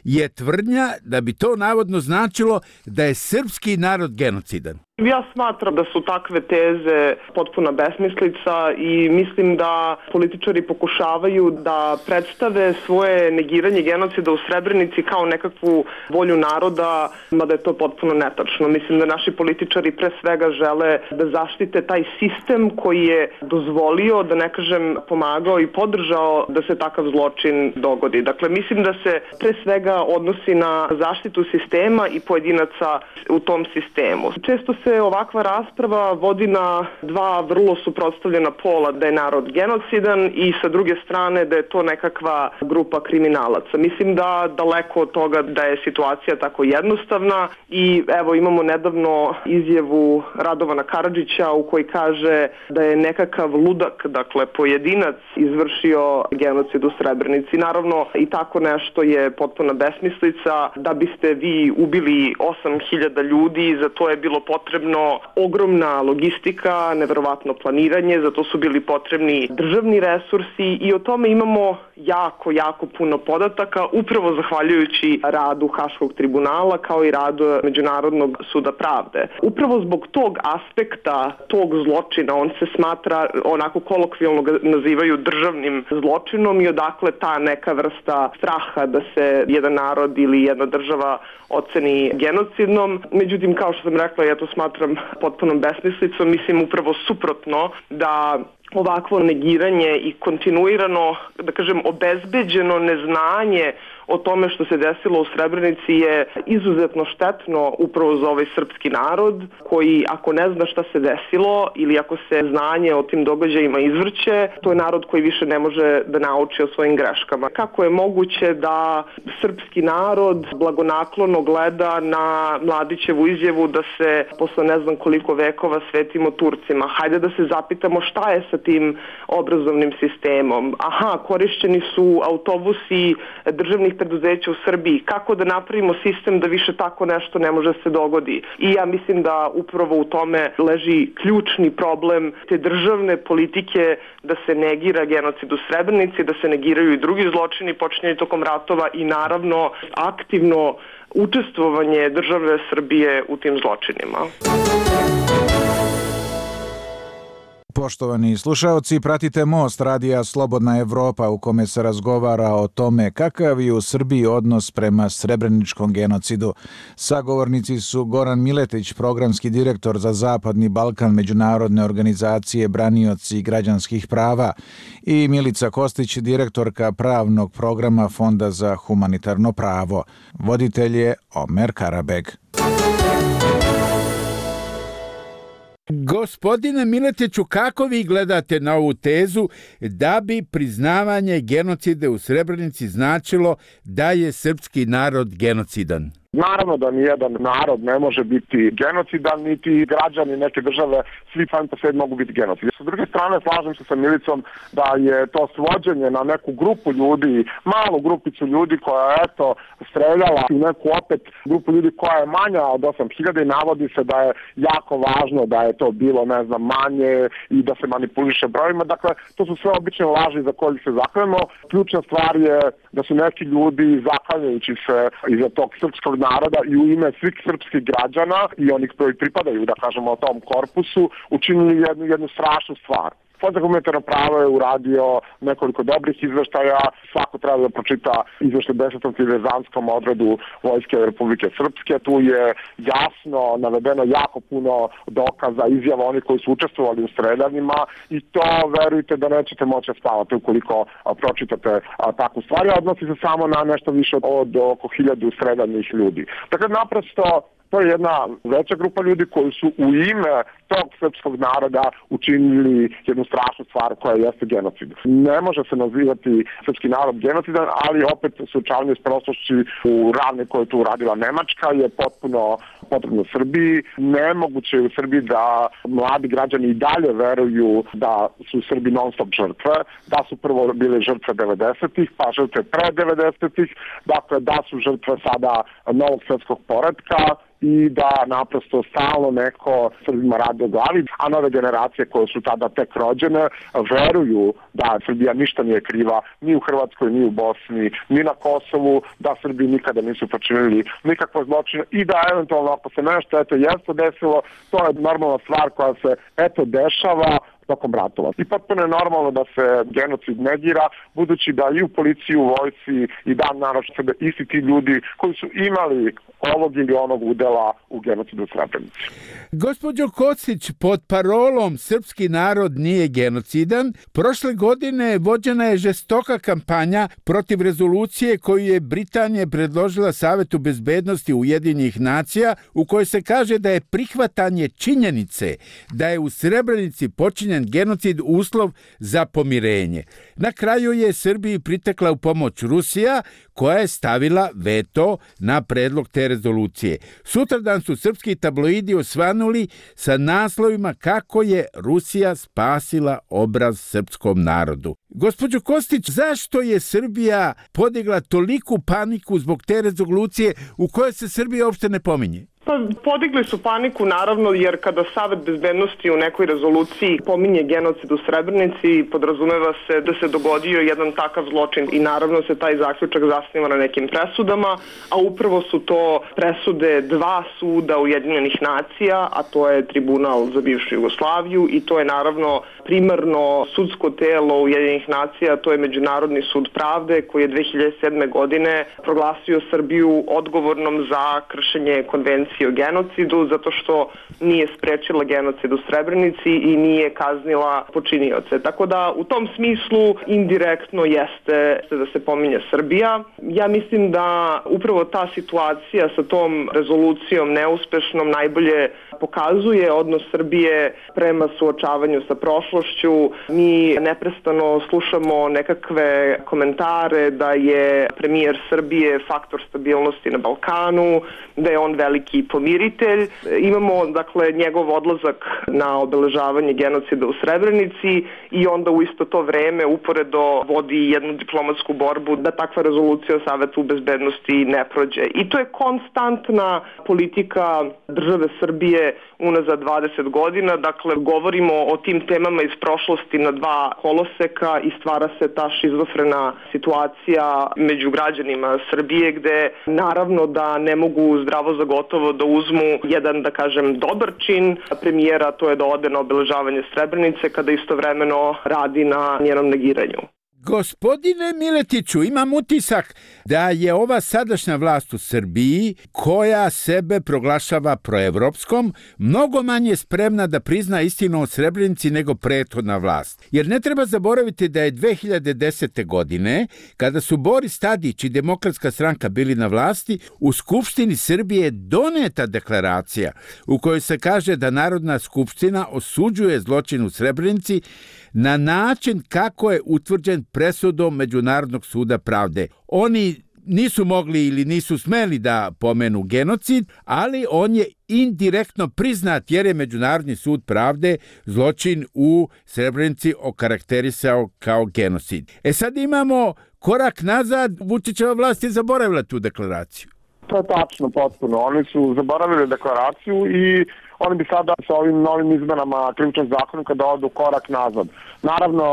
je tvrdnja da bi to navodno značilo da je srpski narod genocidan. Ja smatram da su takve teze potpuna besmislica i mislim da političari pokušavaju da predstave svoje negiranje genocida u Srebrenici kao nekakvu volju naroda, mada je to potpuno netačno. Mislim da naši političari pre svega žele da zaštite taj sistem koji je dozvolio, da ne kažem pomagao i podržao da se takav zločin dogodi. Dakle, mislim da se pre svega odnosi na zaštitu sistema i pojedinaca u tom sistemu. Često se ovakva rasprava vodi na dva vrlo suprotstavljena pola, da je narod genocidan i sa druge strane da je to nekakva grupa kriminalaca. Mislim da daleko od toga da je situacija tako jednostavna i evo imamo nedavno izjavu Radovana Karadžića u kojoj kaže da je nekakav ludak, dakle pojedinac, izvršio genocid u Srebrenici. Naravno i tako nešto je potpuna besmislica. Da biste vi ubili 8.000 ljudi, za to je bilo potrebno ogromna logistika, neverovatno planiranje, zato su bili potrebni državni resursi i o tome imamo jako puno podataka, upravo zahvaljujući radu Haškog tribunala kao i radu Međunarodnog suda pravde. Upravo zbog tog aspekta, tog zločina, on se smatra, onako kolokvijalno ga nazivaju državnim zločinom i odakle ta neka vrsta straha da se jedan narod ili jedna država oceni genocidnom. Međutim, kao što sam rekla, ja to smatram potpunom besmislicom, mislim upravo suprotno da ovakvo negiranje i kontinuirano, da kažem, obezbeđeno neznanje o tome što se desilo u Srebrenici je izuzetno štetno upravo za ovaj srpski narod koji ako ne zna šta se desilo ili ako se znanje o tim događajima izvrće, to je narod koji više ne može da nauči o svojim greškama. Kako je moguće da srpski narod blagonaklono gleda na Mladićevu izjavu da se posle ne znam koliko vekova svetimo Turcima? Hajde da se zapitamo šta je sa tim obrazovnim sistemom. Aha, korišćeni su autobusi državnih preduzeća u Srbiji. Kako da napravimo sistem da više tako nešto ne može se dogodi? I ja mislim da upravo u tome leži ključni problem te državne politike da se negira genocid u Srebrenici, da se negiraju i drugi zločini počinjeni tokom ratova i naravno aktivno učestvovanje države Srbije u tim zločinima. Poštovani slušaoci, pratite Most radija Slobodna Evropa u kome se razgovara o tome kakav je u Srbiji odnos prema srebreničkom genocidu. Sagovornici su Goran Miletić, programski direktor za Zapadni Balkan međunarodne organizacije Branioci građanskih prava, i Milica Kostić, direktorka pravnog programa Fonda za humanitarno pravo. Voditelj je Omer Karabeg. Gospodine Miletiću, kako vi gledate na ovu tezu da bi priznavanje genocida u Srebrenici značilo da je srpski narod genocidan? Naravno da nijedan narod ne može biti genocidan, niti građani neke države, svi sami po sebi mogu biti genocidi. Sa druge strane, slažem se sa Milicom da je to svođenje na neku grupu ljudi, malu grupicu ljudi koja je streljala u neku opet grupu ljudi koja je manja od 8.000 i navodi se da je jako važno da je to bilo, manje i da se manipuliše brojima. Dakle, to su sve obične laži za koje se zaklanjamo. Ključna stvar je da su neki ljudi zaklanjajući se iza tog srpskog naroda i u ime svih srpskih građana i onih koji pripadaju, da kažemo, tom korpusu, učinili jednu strašnu stvar. Fond za humanitarno pravo je uradio nekoliko dobrih izveštaja, svako treba da pročita izveštaj 10. diverzantskom odredu Vojske Republike Srpske. Tu je jasno navedeno jako puno dokaza, izjava onih koji su učestvovali u streljanjima i to verujte da nećete moći spavati ukoliko pročitate takvu stvar. Odnosi se samo na nešto više od oko 1000 streljanih ljudi. Dakle, naprosto to je jedna veća grupa ljudi koji su u ime tog srpskog naroda učinili jednu strašnu stvar koja jeste genocid. Ne može se nazivati srpski narod genocidan, ali opet suočavanje s prošlošću u ravni koje je tu uradila Nemačka je potpuno potrebno Srbiji. Nemoguće je u Srbiji da mladi građani i dalje veruju da su Srbi non stop žrtve, da su prvo bile žrtve 90-ih, pa žrtve pre 90-ih, dakle da su žrtve sada novog svjetskog poretka i da naprosto stalno neko Srbima radi o glavi, a nove generacije koje su tada tek rođene veruju da Srbija ništa nije kriva ni u Hrvatskoj, ni u Bosni, ni na Kosovu, da Srbi nikada nisu počinili nikakvo zločine i da eventualno ako se nešto jeste desilo, to je normalna stvar koja se dešava tokom ratova. I potpuno je normalno da se genocid negira, budući da i u policiji, u vojsci i dan naročito sebe isti ti ljudi koji su imali ovog ili onog udela u genocidu u Srebrenici. Gospođo Kocić, pod parolom Srpski narod nije genocidan, prošle godine vođena je žestoka kampanja protiv rezolucije koju je Britanija predložila Savetu bezbednosti Ujedinjenih nacija, u kojoj se kaže da je prihvatanje činjenice da je u Srebrenici počinjen genocid uslov za pomirenje. Na kraju je Srbiji pritekla u pomoć Rusija, koja je stavila veto na predlog te rezolucije. Sutradan su srpski tabloidi osvanuli sa naslovima kako je Rusija spasila obraz srpskom narodu. Gospođo Kostić, zašto je Srbija podigla toliku paniku zbog te rezolucije u kojoj se Srbija uopšte ne pominje? Pa podigli su paniku naravno jer kada Savet bezbednosti u nekoj rezoluciji pominje genocid u Srebrenici, podrazumeva se da se dogodio jedan takav zločin i naravno se taj zaključak zasniva na nekim presudama, a upravo su to presude dva suda Ujedinjenih nacija, a to je Tribunal za bivšu Jugoslaviju i to je naravno primarno sudsko telo Ujedinjenih nacija, to je Međunarodni sud pravde koji je 2007. godine proglasio Srbiju odgovornom za kršenje konvencije o genocidu zato što nije sprečila genocid u Srebrenici i nije kaznila počinioce. Tako da u tom smislu indirektno jeste da se pominje Srbija. Ja mislim da upravo ta situacija sa tom rezolucijom neuspešnom najbolje pokazuje odnos Srbije prema suočavanju sa prošlošću. Mi neprestano slušamo nekakve komentare da je premijer Srbije faktor stabilnosti na Balkanu, da je on veliki pomiritelj. Imamo, dakle, njegov odlazak na obeležavanje genocida u Srebrenici i onda u isto to vreme uporedo vodi jednu diplomatsku borbu da takva rezolucija o Savetu bezbednosti ne prođe. I to je konstantna politika države Srbije unazad 20 godina. Dakle, govorimo o tim temama iz prošlosti na dva koloseka i stvara se ta šizofrena situacija među građanima Srbije gde naravno da ne mogu zdravo za gotovo da uzmu jedan, da kažem, dobar čin premijera, to je da ode na obeležavanje Srebrenice kada istovremeno radi na njenom negiranju. Gospodine Miletiću, imam utisak da je ova sadašnja vlast u Srbiji, koja sebe proglašava proevropskom, mnogo manje spremna da prizna istinu o Srebrenici nego prethodna vlast. Jer ne treba zaboraviti da je 2010. godine, kada su Boris Tadić i Demokratska stranka bili na vlasti, u Skupštini Srbije doneta deklaracija u kojoj se kaže da Narodna skupština osuđuje zločin u Srebrenici na način kako je utvrđen presudom Međunarodnog suda pravde. Oni nisu mogli ili nisu smeli da pomenu genocid, ali on je indirektno priznat jer je Međunarodni sud pravde zločin u Srebrenici okarakterisao kao genocid. Sad imamo korak nazad, Vučićeva vlast je zaboravila tu deklaraciju. To je tačno, potpuno. Oni su zaboravili deklaraciju i oni bi sada sa ovim novim izmenama krivičnog zakonika da odu korak nazad. Naravno,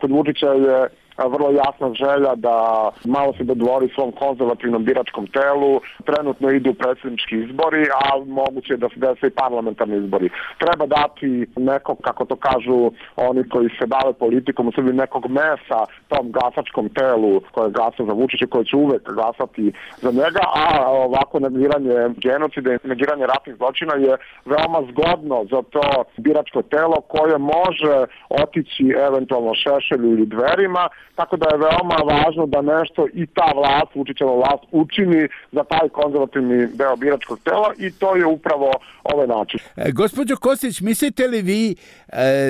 kod Vučića je vrlo jasna želja da malo se dodvori svom konzervativnom biračkom telu. Trenutno idu predsjednički izbori, a moguće je da se dese i parlamentarni izbori. Treba dati nekog, kako to kažu oni koji se bave politikom, u Srbiji nekog mesa tom glasačkom telu koje glasa za Vučića, koje će uvek glasati za njega, a ovako negiranje genocida i negiranje ratnih zločina je veoma zgodno za to biračko telo koje može otići eventualno Šešelju ili Dverima. Tako da je veoma važno da nešto i ta vlast, Vučićeva vlast, učini za taj konzervativni deo biračkog tela i to je upravo ovaj način. Gospođo Kostić, mislite li vi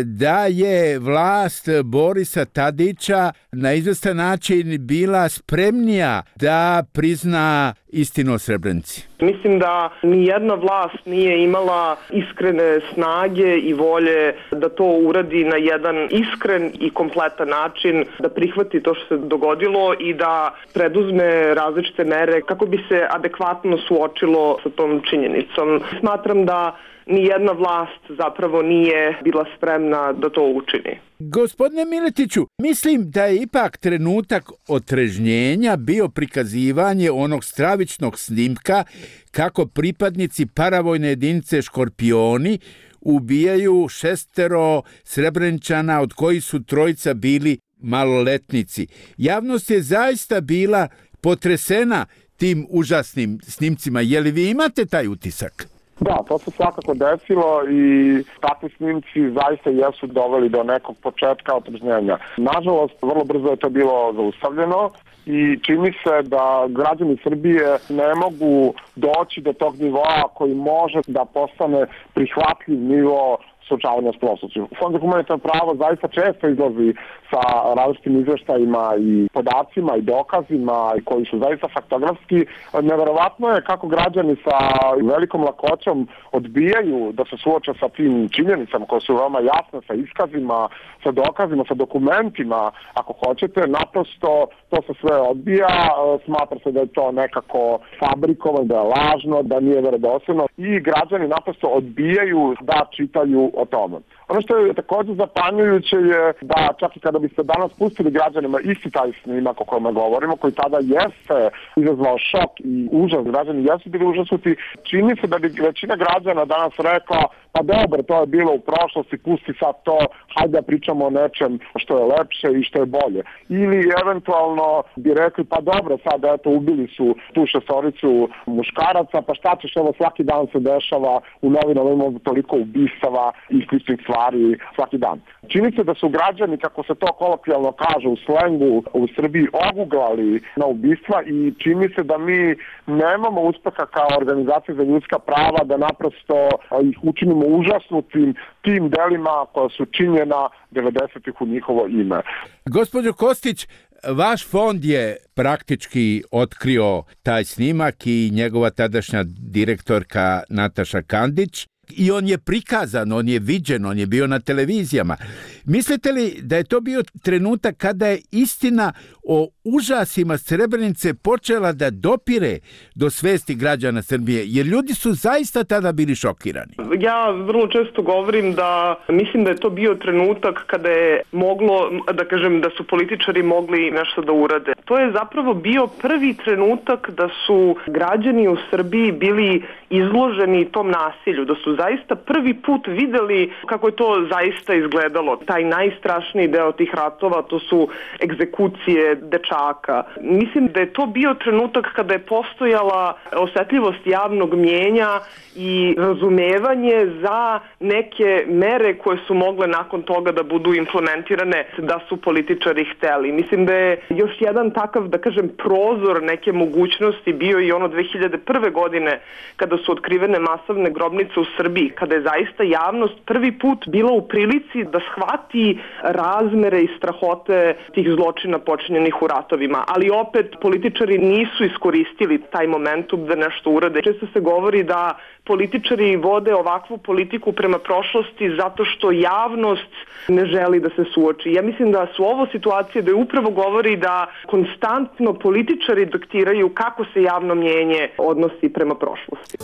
da je vlast Borisa Tadića na izvestan način bila spremnija da prizna istinu o Srebrenici? Mislim da ni jedna vlast nije imala iskrene snage i volje da to uradi na jedan iskren i kompletan način, da prihvati to što se dogodilo i da preduzme različite mere kako bi se adekvatno suočilo sa tom činjenicom. Smatram da ni jedna vlast zapravo nije bila spremna da to učini. Gospodine Miletiću, mislim da je ipak trenutak otrežnjenja bio prikazivanje onog stravičnog snimka kako pripadnici paravojne jedinice Škorpioni ubijaju 6 Srebreničana, od kojih su 3 bili maloletnici. Javnost je zaista bila potresena tim užasnim snimcima. Je li vi imate taj utisak? Da, to se svakako desilo i takvi snimci zaista jesu doveli do nekog početka otrežnjenja. Nažalost, vrlo brzo je to bilo zaustavljeno i čini se da građani Srbije ne mogu doći do tog nivoa koji može da postane prihvatljiv nivo suočavanja s prošlošću. Fond za humanitarno pravo zaista često izlazi sa različitim izveštajima i podacima i dokazima koji su zaista faktografski. Neverovatno je kako građani sa velikom lakoćom odbijaju da se suoče sa tim činjenicama koje su veoma jasne, sa iskazima, sa dokazima, sa dokumentima, ako hoćete. Naprosto to se sve odbija, smatra se da je to nekako fabrikovano, da je lažno, da nije verodostojno i građani naprosto odbijaju da čitaju o tome. Ono što je također zapanjujuće je da čak i kada biste danas pustili građanima isti taj snimak o kojem govorimo, koji tada jeste izazvao šok i užas, građani jesu bili užasnuti, čini se da bi većina građana danas rekla pa dobro, to je bilo u prošlosti, pusti sad to, hajde da pričamo o nečem što je lepše i što je bolje. Ili eventualno bi rekli pa dobro, sad eto ubili su tu 6 muškaraca, pa šta ćeš, evo svaki dan se dešava u novinama, imamo toliko ubistava i sličnih stvari svaki dan. Čini se da su građani, kako se to kolokvijalno kaže u slengu, u Srbiji oguglali na ubistva i čini se da mi nemamo uspeha kao organizacija za ljudska prava da naprosto ih učinimo užasnutim tim delima koja su činjena 90-ih u njihovo ime. Gospođo Kostić, vaš fond je praktički otkrio taj snimak i njegova tadašnja direktorka Nataša Kandić i on je prikazan, on je viđen, on je bio na televizijama. Mislite li da je to bio trenutak kada je istina o užasima Srebrenice počela da dopire do svesti građana Srbije? Jer ljudi su zaista tada bili šokirani. Ja vrlo često govorim da mislim da je to bio trenutak kada je moglo, da kažem, da su političari mogli nešto da urade. To je zapravo bio prvi trenutak da su građani u Srbiji bili izloženi tom nasilju, da su zaista prvi put videli kako je to zaista izgledalo. Taj najstrašniji deo tih ratova, to su egzekucije dečaka. Mislim da je to bio trenutak kada je postojala osetljivost javnog mnijenja i razumevanje za neke mere koje su mogle nakon toga da budu implementirane da su političari hteli. Mislim da je još jedan takav, da kažem, prozor neke mogućnosti bio i ono 2001. godine kada su otkrivene masovne grobnice u Srbiji, kada je zaista javnost prvi put bila u prilici da shvati razmere i strahote tih zločina počinjenih u ratovima. Ali opet političari nisu iskoristili taj momentum da nešto urade. Često se govori da političari vode ovakvu politiku prema prošlosti zato što javnost ne želi da se suoči. Ja mislim da su ovo situacije da je upravo govori da konstantno političari diktiraju kako se javno mnjenje odnosi prema prošlosti.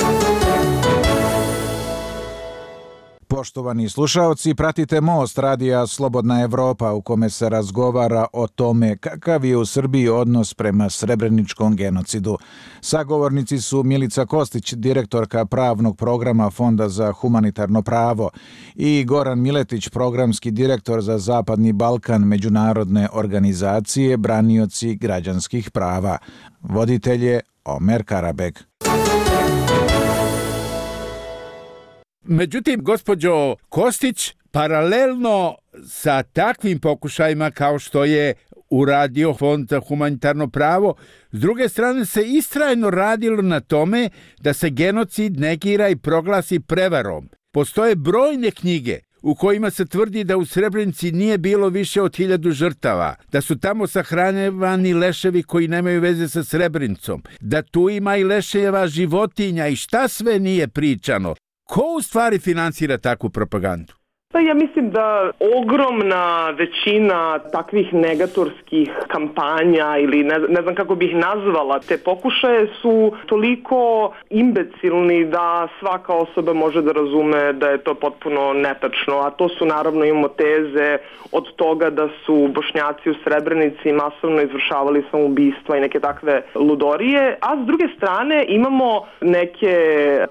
Poštovani slušaoci, pratite Most radija Slobodna Evropa u kome se razgovara o tome kakav je u Srbiji odnos prema srebreničkom genocidu. Sagovornici su Milica Kostić, direktorka pravnog programa Fonda za humanitarno pravo, i Goran Miletić, programski direktor za Zapadni Balkan međunarodne organizacije Branioci građanskih prava. Voditelj je Omer Karabeg. Međutim, gospođo Kostić, paralelno sa takvim pokušajima kao što je uradio Fond za humanitarno pravo, s druge strane se istrajno radilo na tome da se genocid negira i proglasi prevarom. Postoje brojne knjige u kojima se tvrdi da u Srebrenici nije bilo više od 1000 žrtava, da su tamo sahranjevani leševi koji nemaju veze sa Srebrenicom, da tu ima i leševa životinja i šta sve nije pričano. Ko u stvari finansira takvu propagandu? Pa ja mislim da ogromna većina takvih negatorskih kampanja ili ne znam kako bih nazvala te pokušaje su toliko imbecilni da svaka osoba može da razume da je to potpuno netačno, a to su naravno imamo teze od toga da su Bošnjaci u Srebrenici masovno izvršavali samoubistva i neke takve ludorije, a s druge strane imamo neke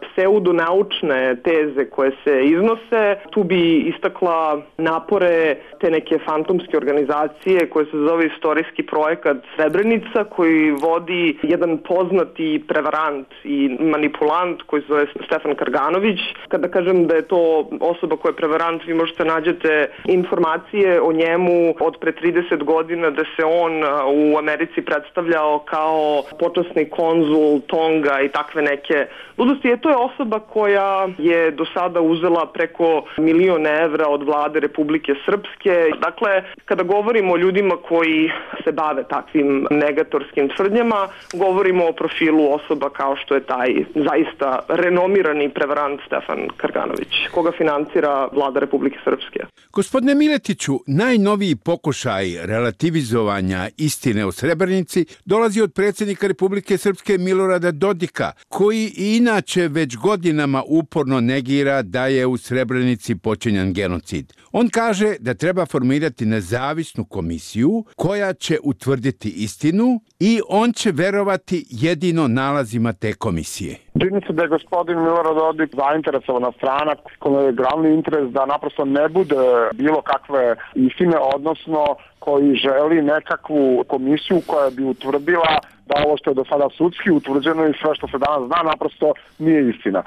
pseudonaučne teze koje se iznose. Tu bi istakla napore te neke fantomske organizacije koje se zove Istorijski projekat Srebrenica, koji vodi jedan poznati prevarant i manipulant koji se zove Stefan Karganović. Kada kažem da je to osoba koja je prevarant, vi možete nađete informacije o njemu od pre 30 godina da se on u Americi predstavljao kao počasni konzul Tonga i takve neke ludosti. To je osoba koja je do sada uzela preko 1.000.000 evra od vlade Republike Srpske. Dakle, kada govorimo o ljudima koji se bave takvim negatorskim tvrdnjama, govorimo o profilu osoba kao što je taj zaista renomirani prevarant Stefan Karganović, koga finansira vlada Republike Srpske. Gospodine Miletiću, najnoviji pokušaj relativizovanja istine o Srebrenici dolazi od predsjednika Republike Srpske Milorada Dodika, koji inače već godinama uporno negira da je u Srebrenici počinjen genocid. On kaže da treba formirati nezavisnu komisiju koja će utvrditi istinu i on će verovati jedino nalazima te komisije. Čini se da je gospodin Milorad Dodik zainteresovana strana kojoj je glavni interes da naprosto ne bude bilo kakve istine, odnosno koji želi nekakvu komisiju koja bi utvrdila da ovo što je do sada sudski utvrđeno i sve što se danas zna naprosto nije istina.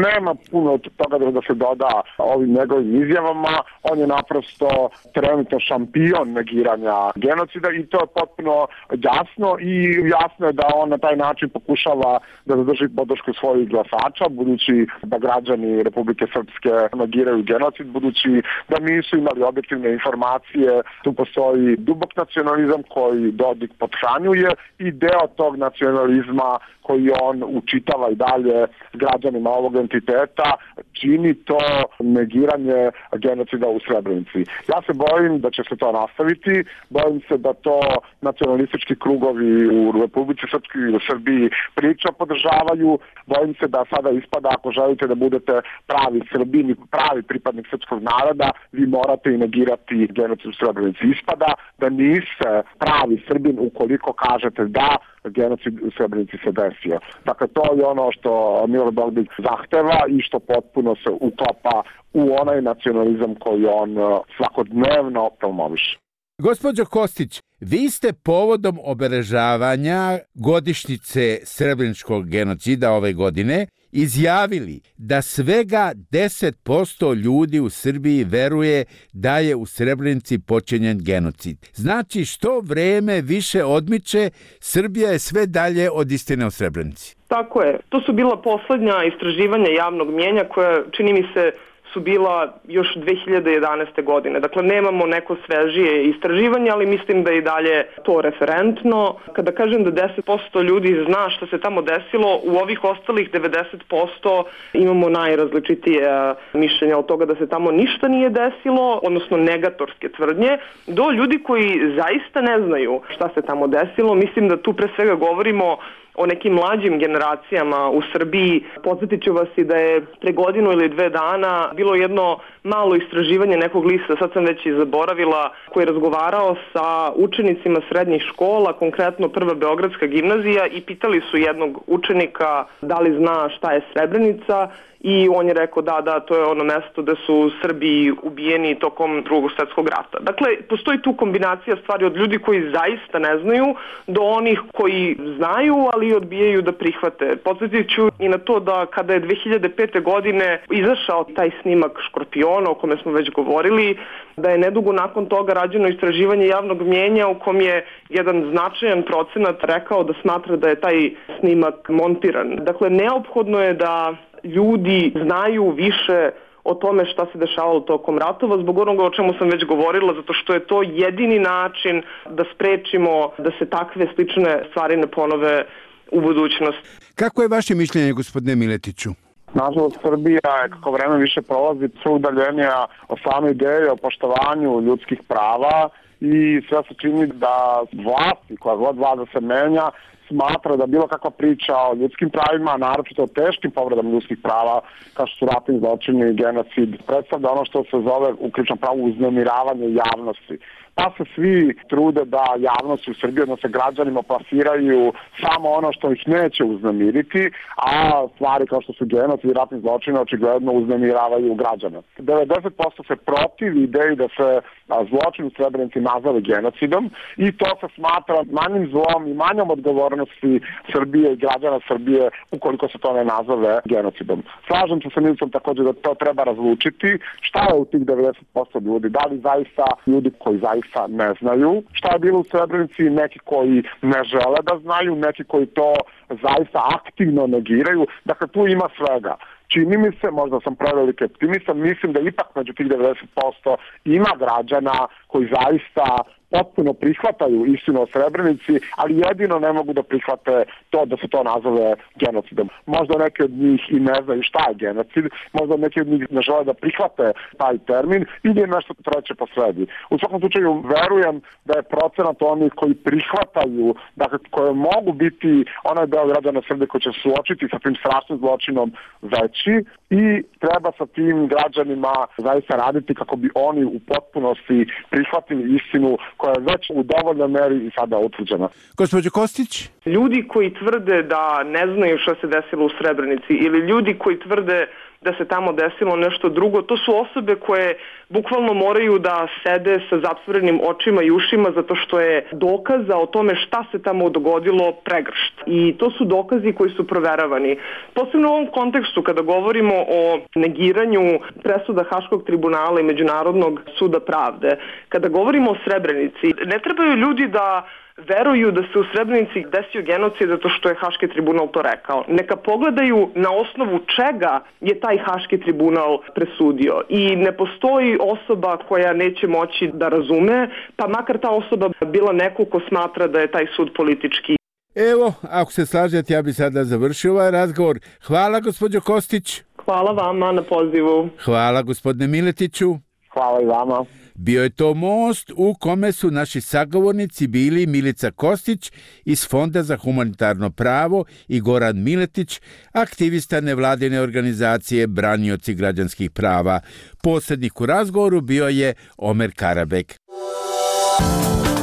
Nema puno toga da se doda ovim njegovim izjavama. On je naprosto trenutno šampion negiranja genocida i to je potpuno jasno i jasno je da on na taj način pokušava da zadrži podršku svojih glasača, budući da građani Republike Srpske negiraju genocid, budući da nisu imali objektivne informacije. Tu postoji postoji dubok nacionalizam koji Dodik pothranjuje i deo tog nacionalizma koji on učitava i dalje građanima ovog entiteta, čini to negiranje genocida u Srebrenici. Ja se bojim da će se to nastaviti, bojim se da to nacionalistički krugovi u Republici Srpskoj i u Srbiji priča podržavaju, bojim se da sada ispada, ako želite da budete pravi Srbin i pravi pripadnik srpskog naroda, vi morate i negirati genocid u Srebrenici. Ispada da niste pravi Srbin ukoliko kažete da genocid u Srebrenici se desio. Dakle, to je ono što Milorad Dodik zahteva i što potpuno se uklapa u onaj nacionalizam koji on svakodnevno promoviše. Gospođo Kostić, vi ste povodom obeležavanja godišnjice srebreničkog genocida ove godine izjavili da svega 10% ljudi u Srbiji veruje da je u Srebrenici počinjen genocid. Znači, što vreme više odmiče, Srbija je sve dalje od istine o Srebrenici. Tako je. To su bila poslednja istraživanja javnog mnijenja koja, čini mi se, su bila još 2011. godine. Dakle, nemamo neko svežije istraživanje, ali mislim da je i dalje to referentno. Kada kažem da 10% ljudi zna što se tamo desilo, u ovih ostalih 90% imamo najrazličitije mišljenja od toga da se tamo ništa nije desilo, odnosno negatorske tvrdnje, do ljudi koji zaista ne znaju šta se tamo desilo. Mislim da tu pre svega govorimo o nekim mlađim generacijama u Srbiji. Podsjetit ću vas i da je pre godinu ili 2 dana bilo jedno malo istraživanje nekog lista, sad sam već i zaboravila, koji je razgovarao sa učenicima srednjih škola, konkretno Prva Beogradska gimnazija, i pitali su jednog učenika da li zna šta je Srebrenica, i on je rekao da, to je ono mesto da su Srbi ubijeni tokom Drugog svjetskog rata. Dakle, postoji tu kombinacija stvari od ljudi koji zaista ne znaju do onih koji znaju, ali odbijaju da prihvate. Podsjetit ću i na to da kada je 2005. godine izašao taj snimak Škorpiona, o kome smo već govorili, da je nedugo nakon toga rađeno istraživanje javnog mnijenja u kom je jedan značajan procenat rekao da smatra da je taj snimak montiran. Dakle, neophodno je da ljudi znaju više o tome šta se dešavalo tokom ratova, zbog onoga o čemu sam već govorila, zato što je to jedini način da sprečimo da se takve slične stvari ne ponove u budućnosti. Kako je vaše mišljenje, gospodine Miletiću? Nažalost, Srbija je, kako vreme više prolazi, sve udaljenija o same ideje o poštovanju ljudskih prava i sve se čini da vlasti, koja god vlada se menja, smatra da bilo kakva priča o ljudskim pravima, naročito o teškim povredama ljudskih prava, kao što su ratni zločini i genocid, predstavlja ono što se zove u krivičnom pravu uznemiravanje javnosti. Pa se svi trude da javnosti u Srbiji, odnosno građanima, plasiraju samo ono što ih neće uznemiriti, a stvari kao što su genocid i ratni zločini očigledno uznemiravaju građane. 90% se protivi ideji da se zločin u Srebrenici nazove genocidom i to se smatra manjim zlom i manjom odgovornosti Srbije i građana Srbije ukoliko se to ne nazove genocidom. Slažem se sa Milicom također da to treba razlučiti. Šta je u tih 90% ljudi? Da li zaista ljudi koji zaista ne znaju šta je bilo u Srebrenici, neki koji ne žele da znaju, neki koji to zaista aktivno negiraju. Dakle, tu ima svega. Čini mi se, možda sam preveliki optimista, mislim da ipak među tih 90% ima građana koji zaista potpuno prihvataju istinu o Srebrenici, ali jedino ne mogu da prihvate to da se to nazove genocidom. Možda neki od njih i ne znaju šta je genocid, možda neki od njih ne žele da prihvate taj termin ili je nešto treće posredi. U svakom slučaju verujem da je procenat onih koji prihvataju, dakle koje mogu biti onaj deo građana Srbije koji će suočiti sa tim strašnim zločinom veći i treba sa tim građanima zaista raditi kako bi oni u potpunosti prihvatili istinu koja je već u dovoljnoj meri i sada utvrđena. Gospođo Kostić? Ljudi koji tvrde da ne znaju što se desilo u Srebrenici ili ljudi koji tvrde da se tamo desilo nešto drugo, to su osobe koje bukvalno moraju da sede sa zatvorenim očima i ušima zato što je dokaza o tome šta se tamo dogodilo pregršt. I to su dokazi koji su proveravani. Posebno u ovom kontekstu kada govorimo o negiranju presuda Haškog tribunala i Međunarodnog suda pravde, kada govorimo o Srebrenici, ne trebaju ljudi da veruju da se u Srebrenici desio genocid zato što je Haški tribunal to rekao. Neka pogledaju na osnovu čega je taj Haški tribunal presudio. I ne postoji osoba koja neće moći da razume, pa makar ta osoba bila neko ko smatra da je taj sud politički. Evo, ako se slažete, ja bi sada završio ovaj razgovor. Hvala, gospođo Kostić. Hvala vama na pozivu. Hvala, gospodine Miletiću. Hvala i vama. Bio je to most u kome su naši sagovornici bili Milica Kostić iz Fonda za humanitarno pravo i Goran Miletić, aktivista nevladine organizacije Branioci građanskih prava. Posrednik u razgovoru bio je Omer Karabek.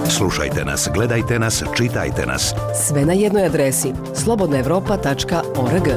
Slušajte nas, gledajte nas, čitajte nas. Sve na jednoj adresi slobodnaevropa.org.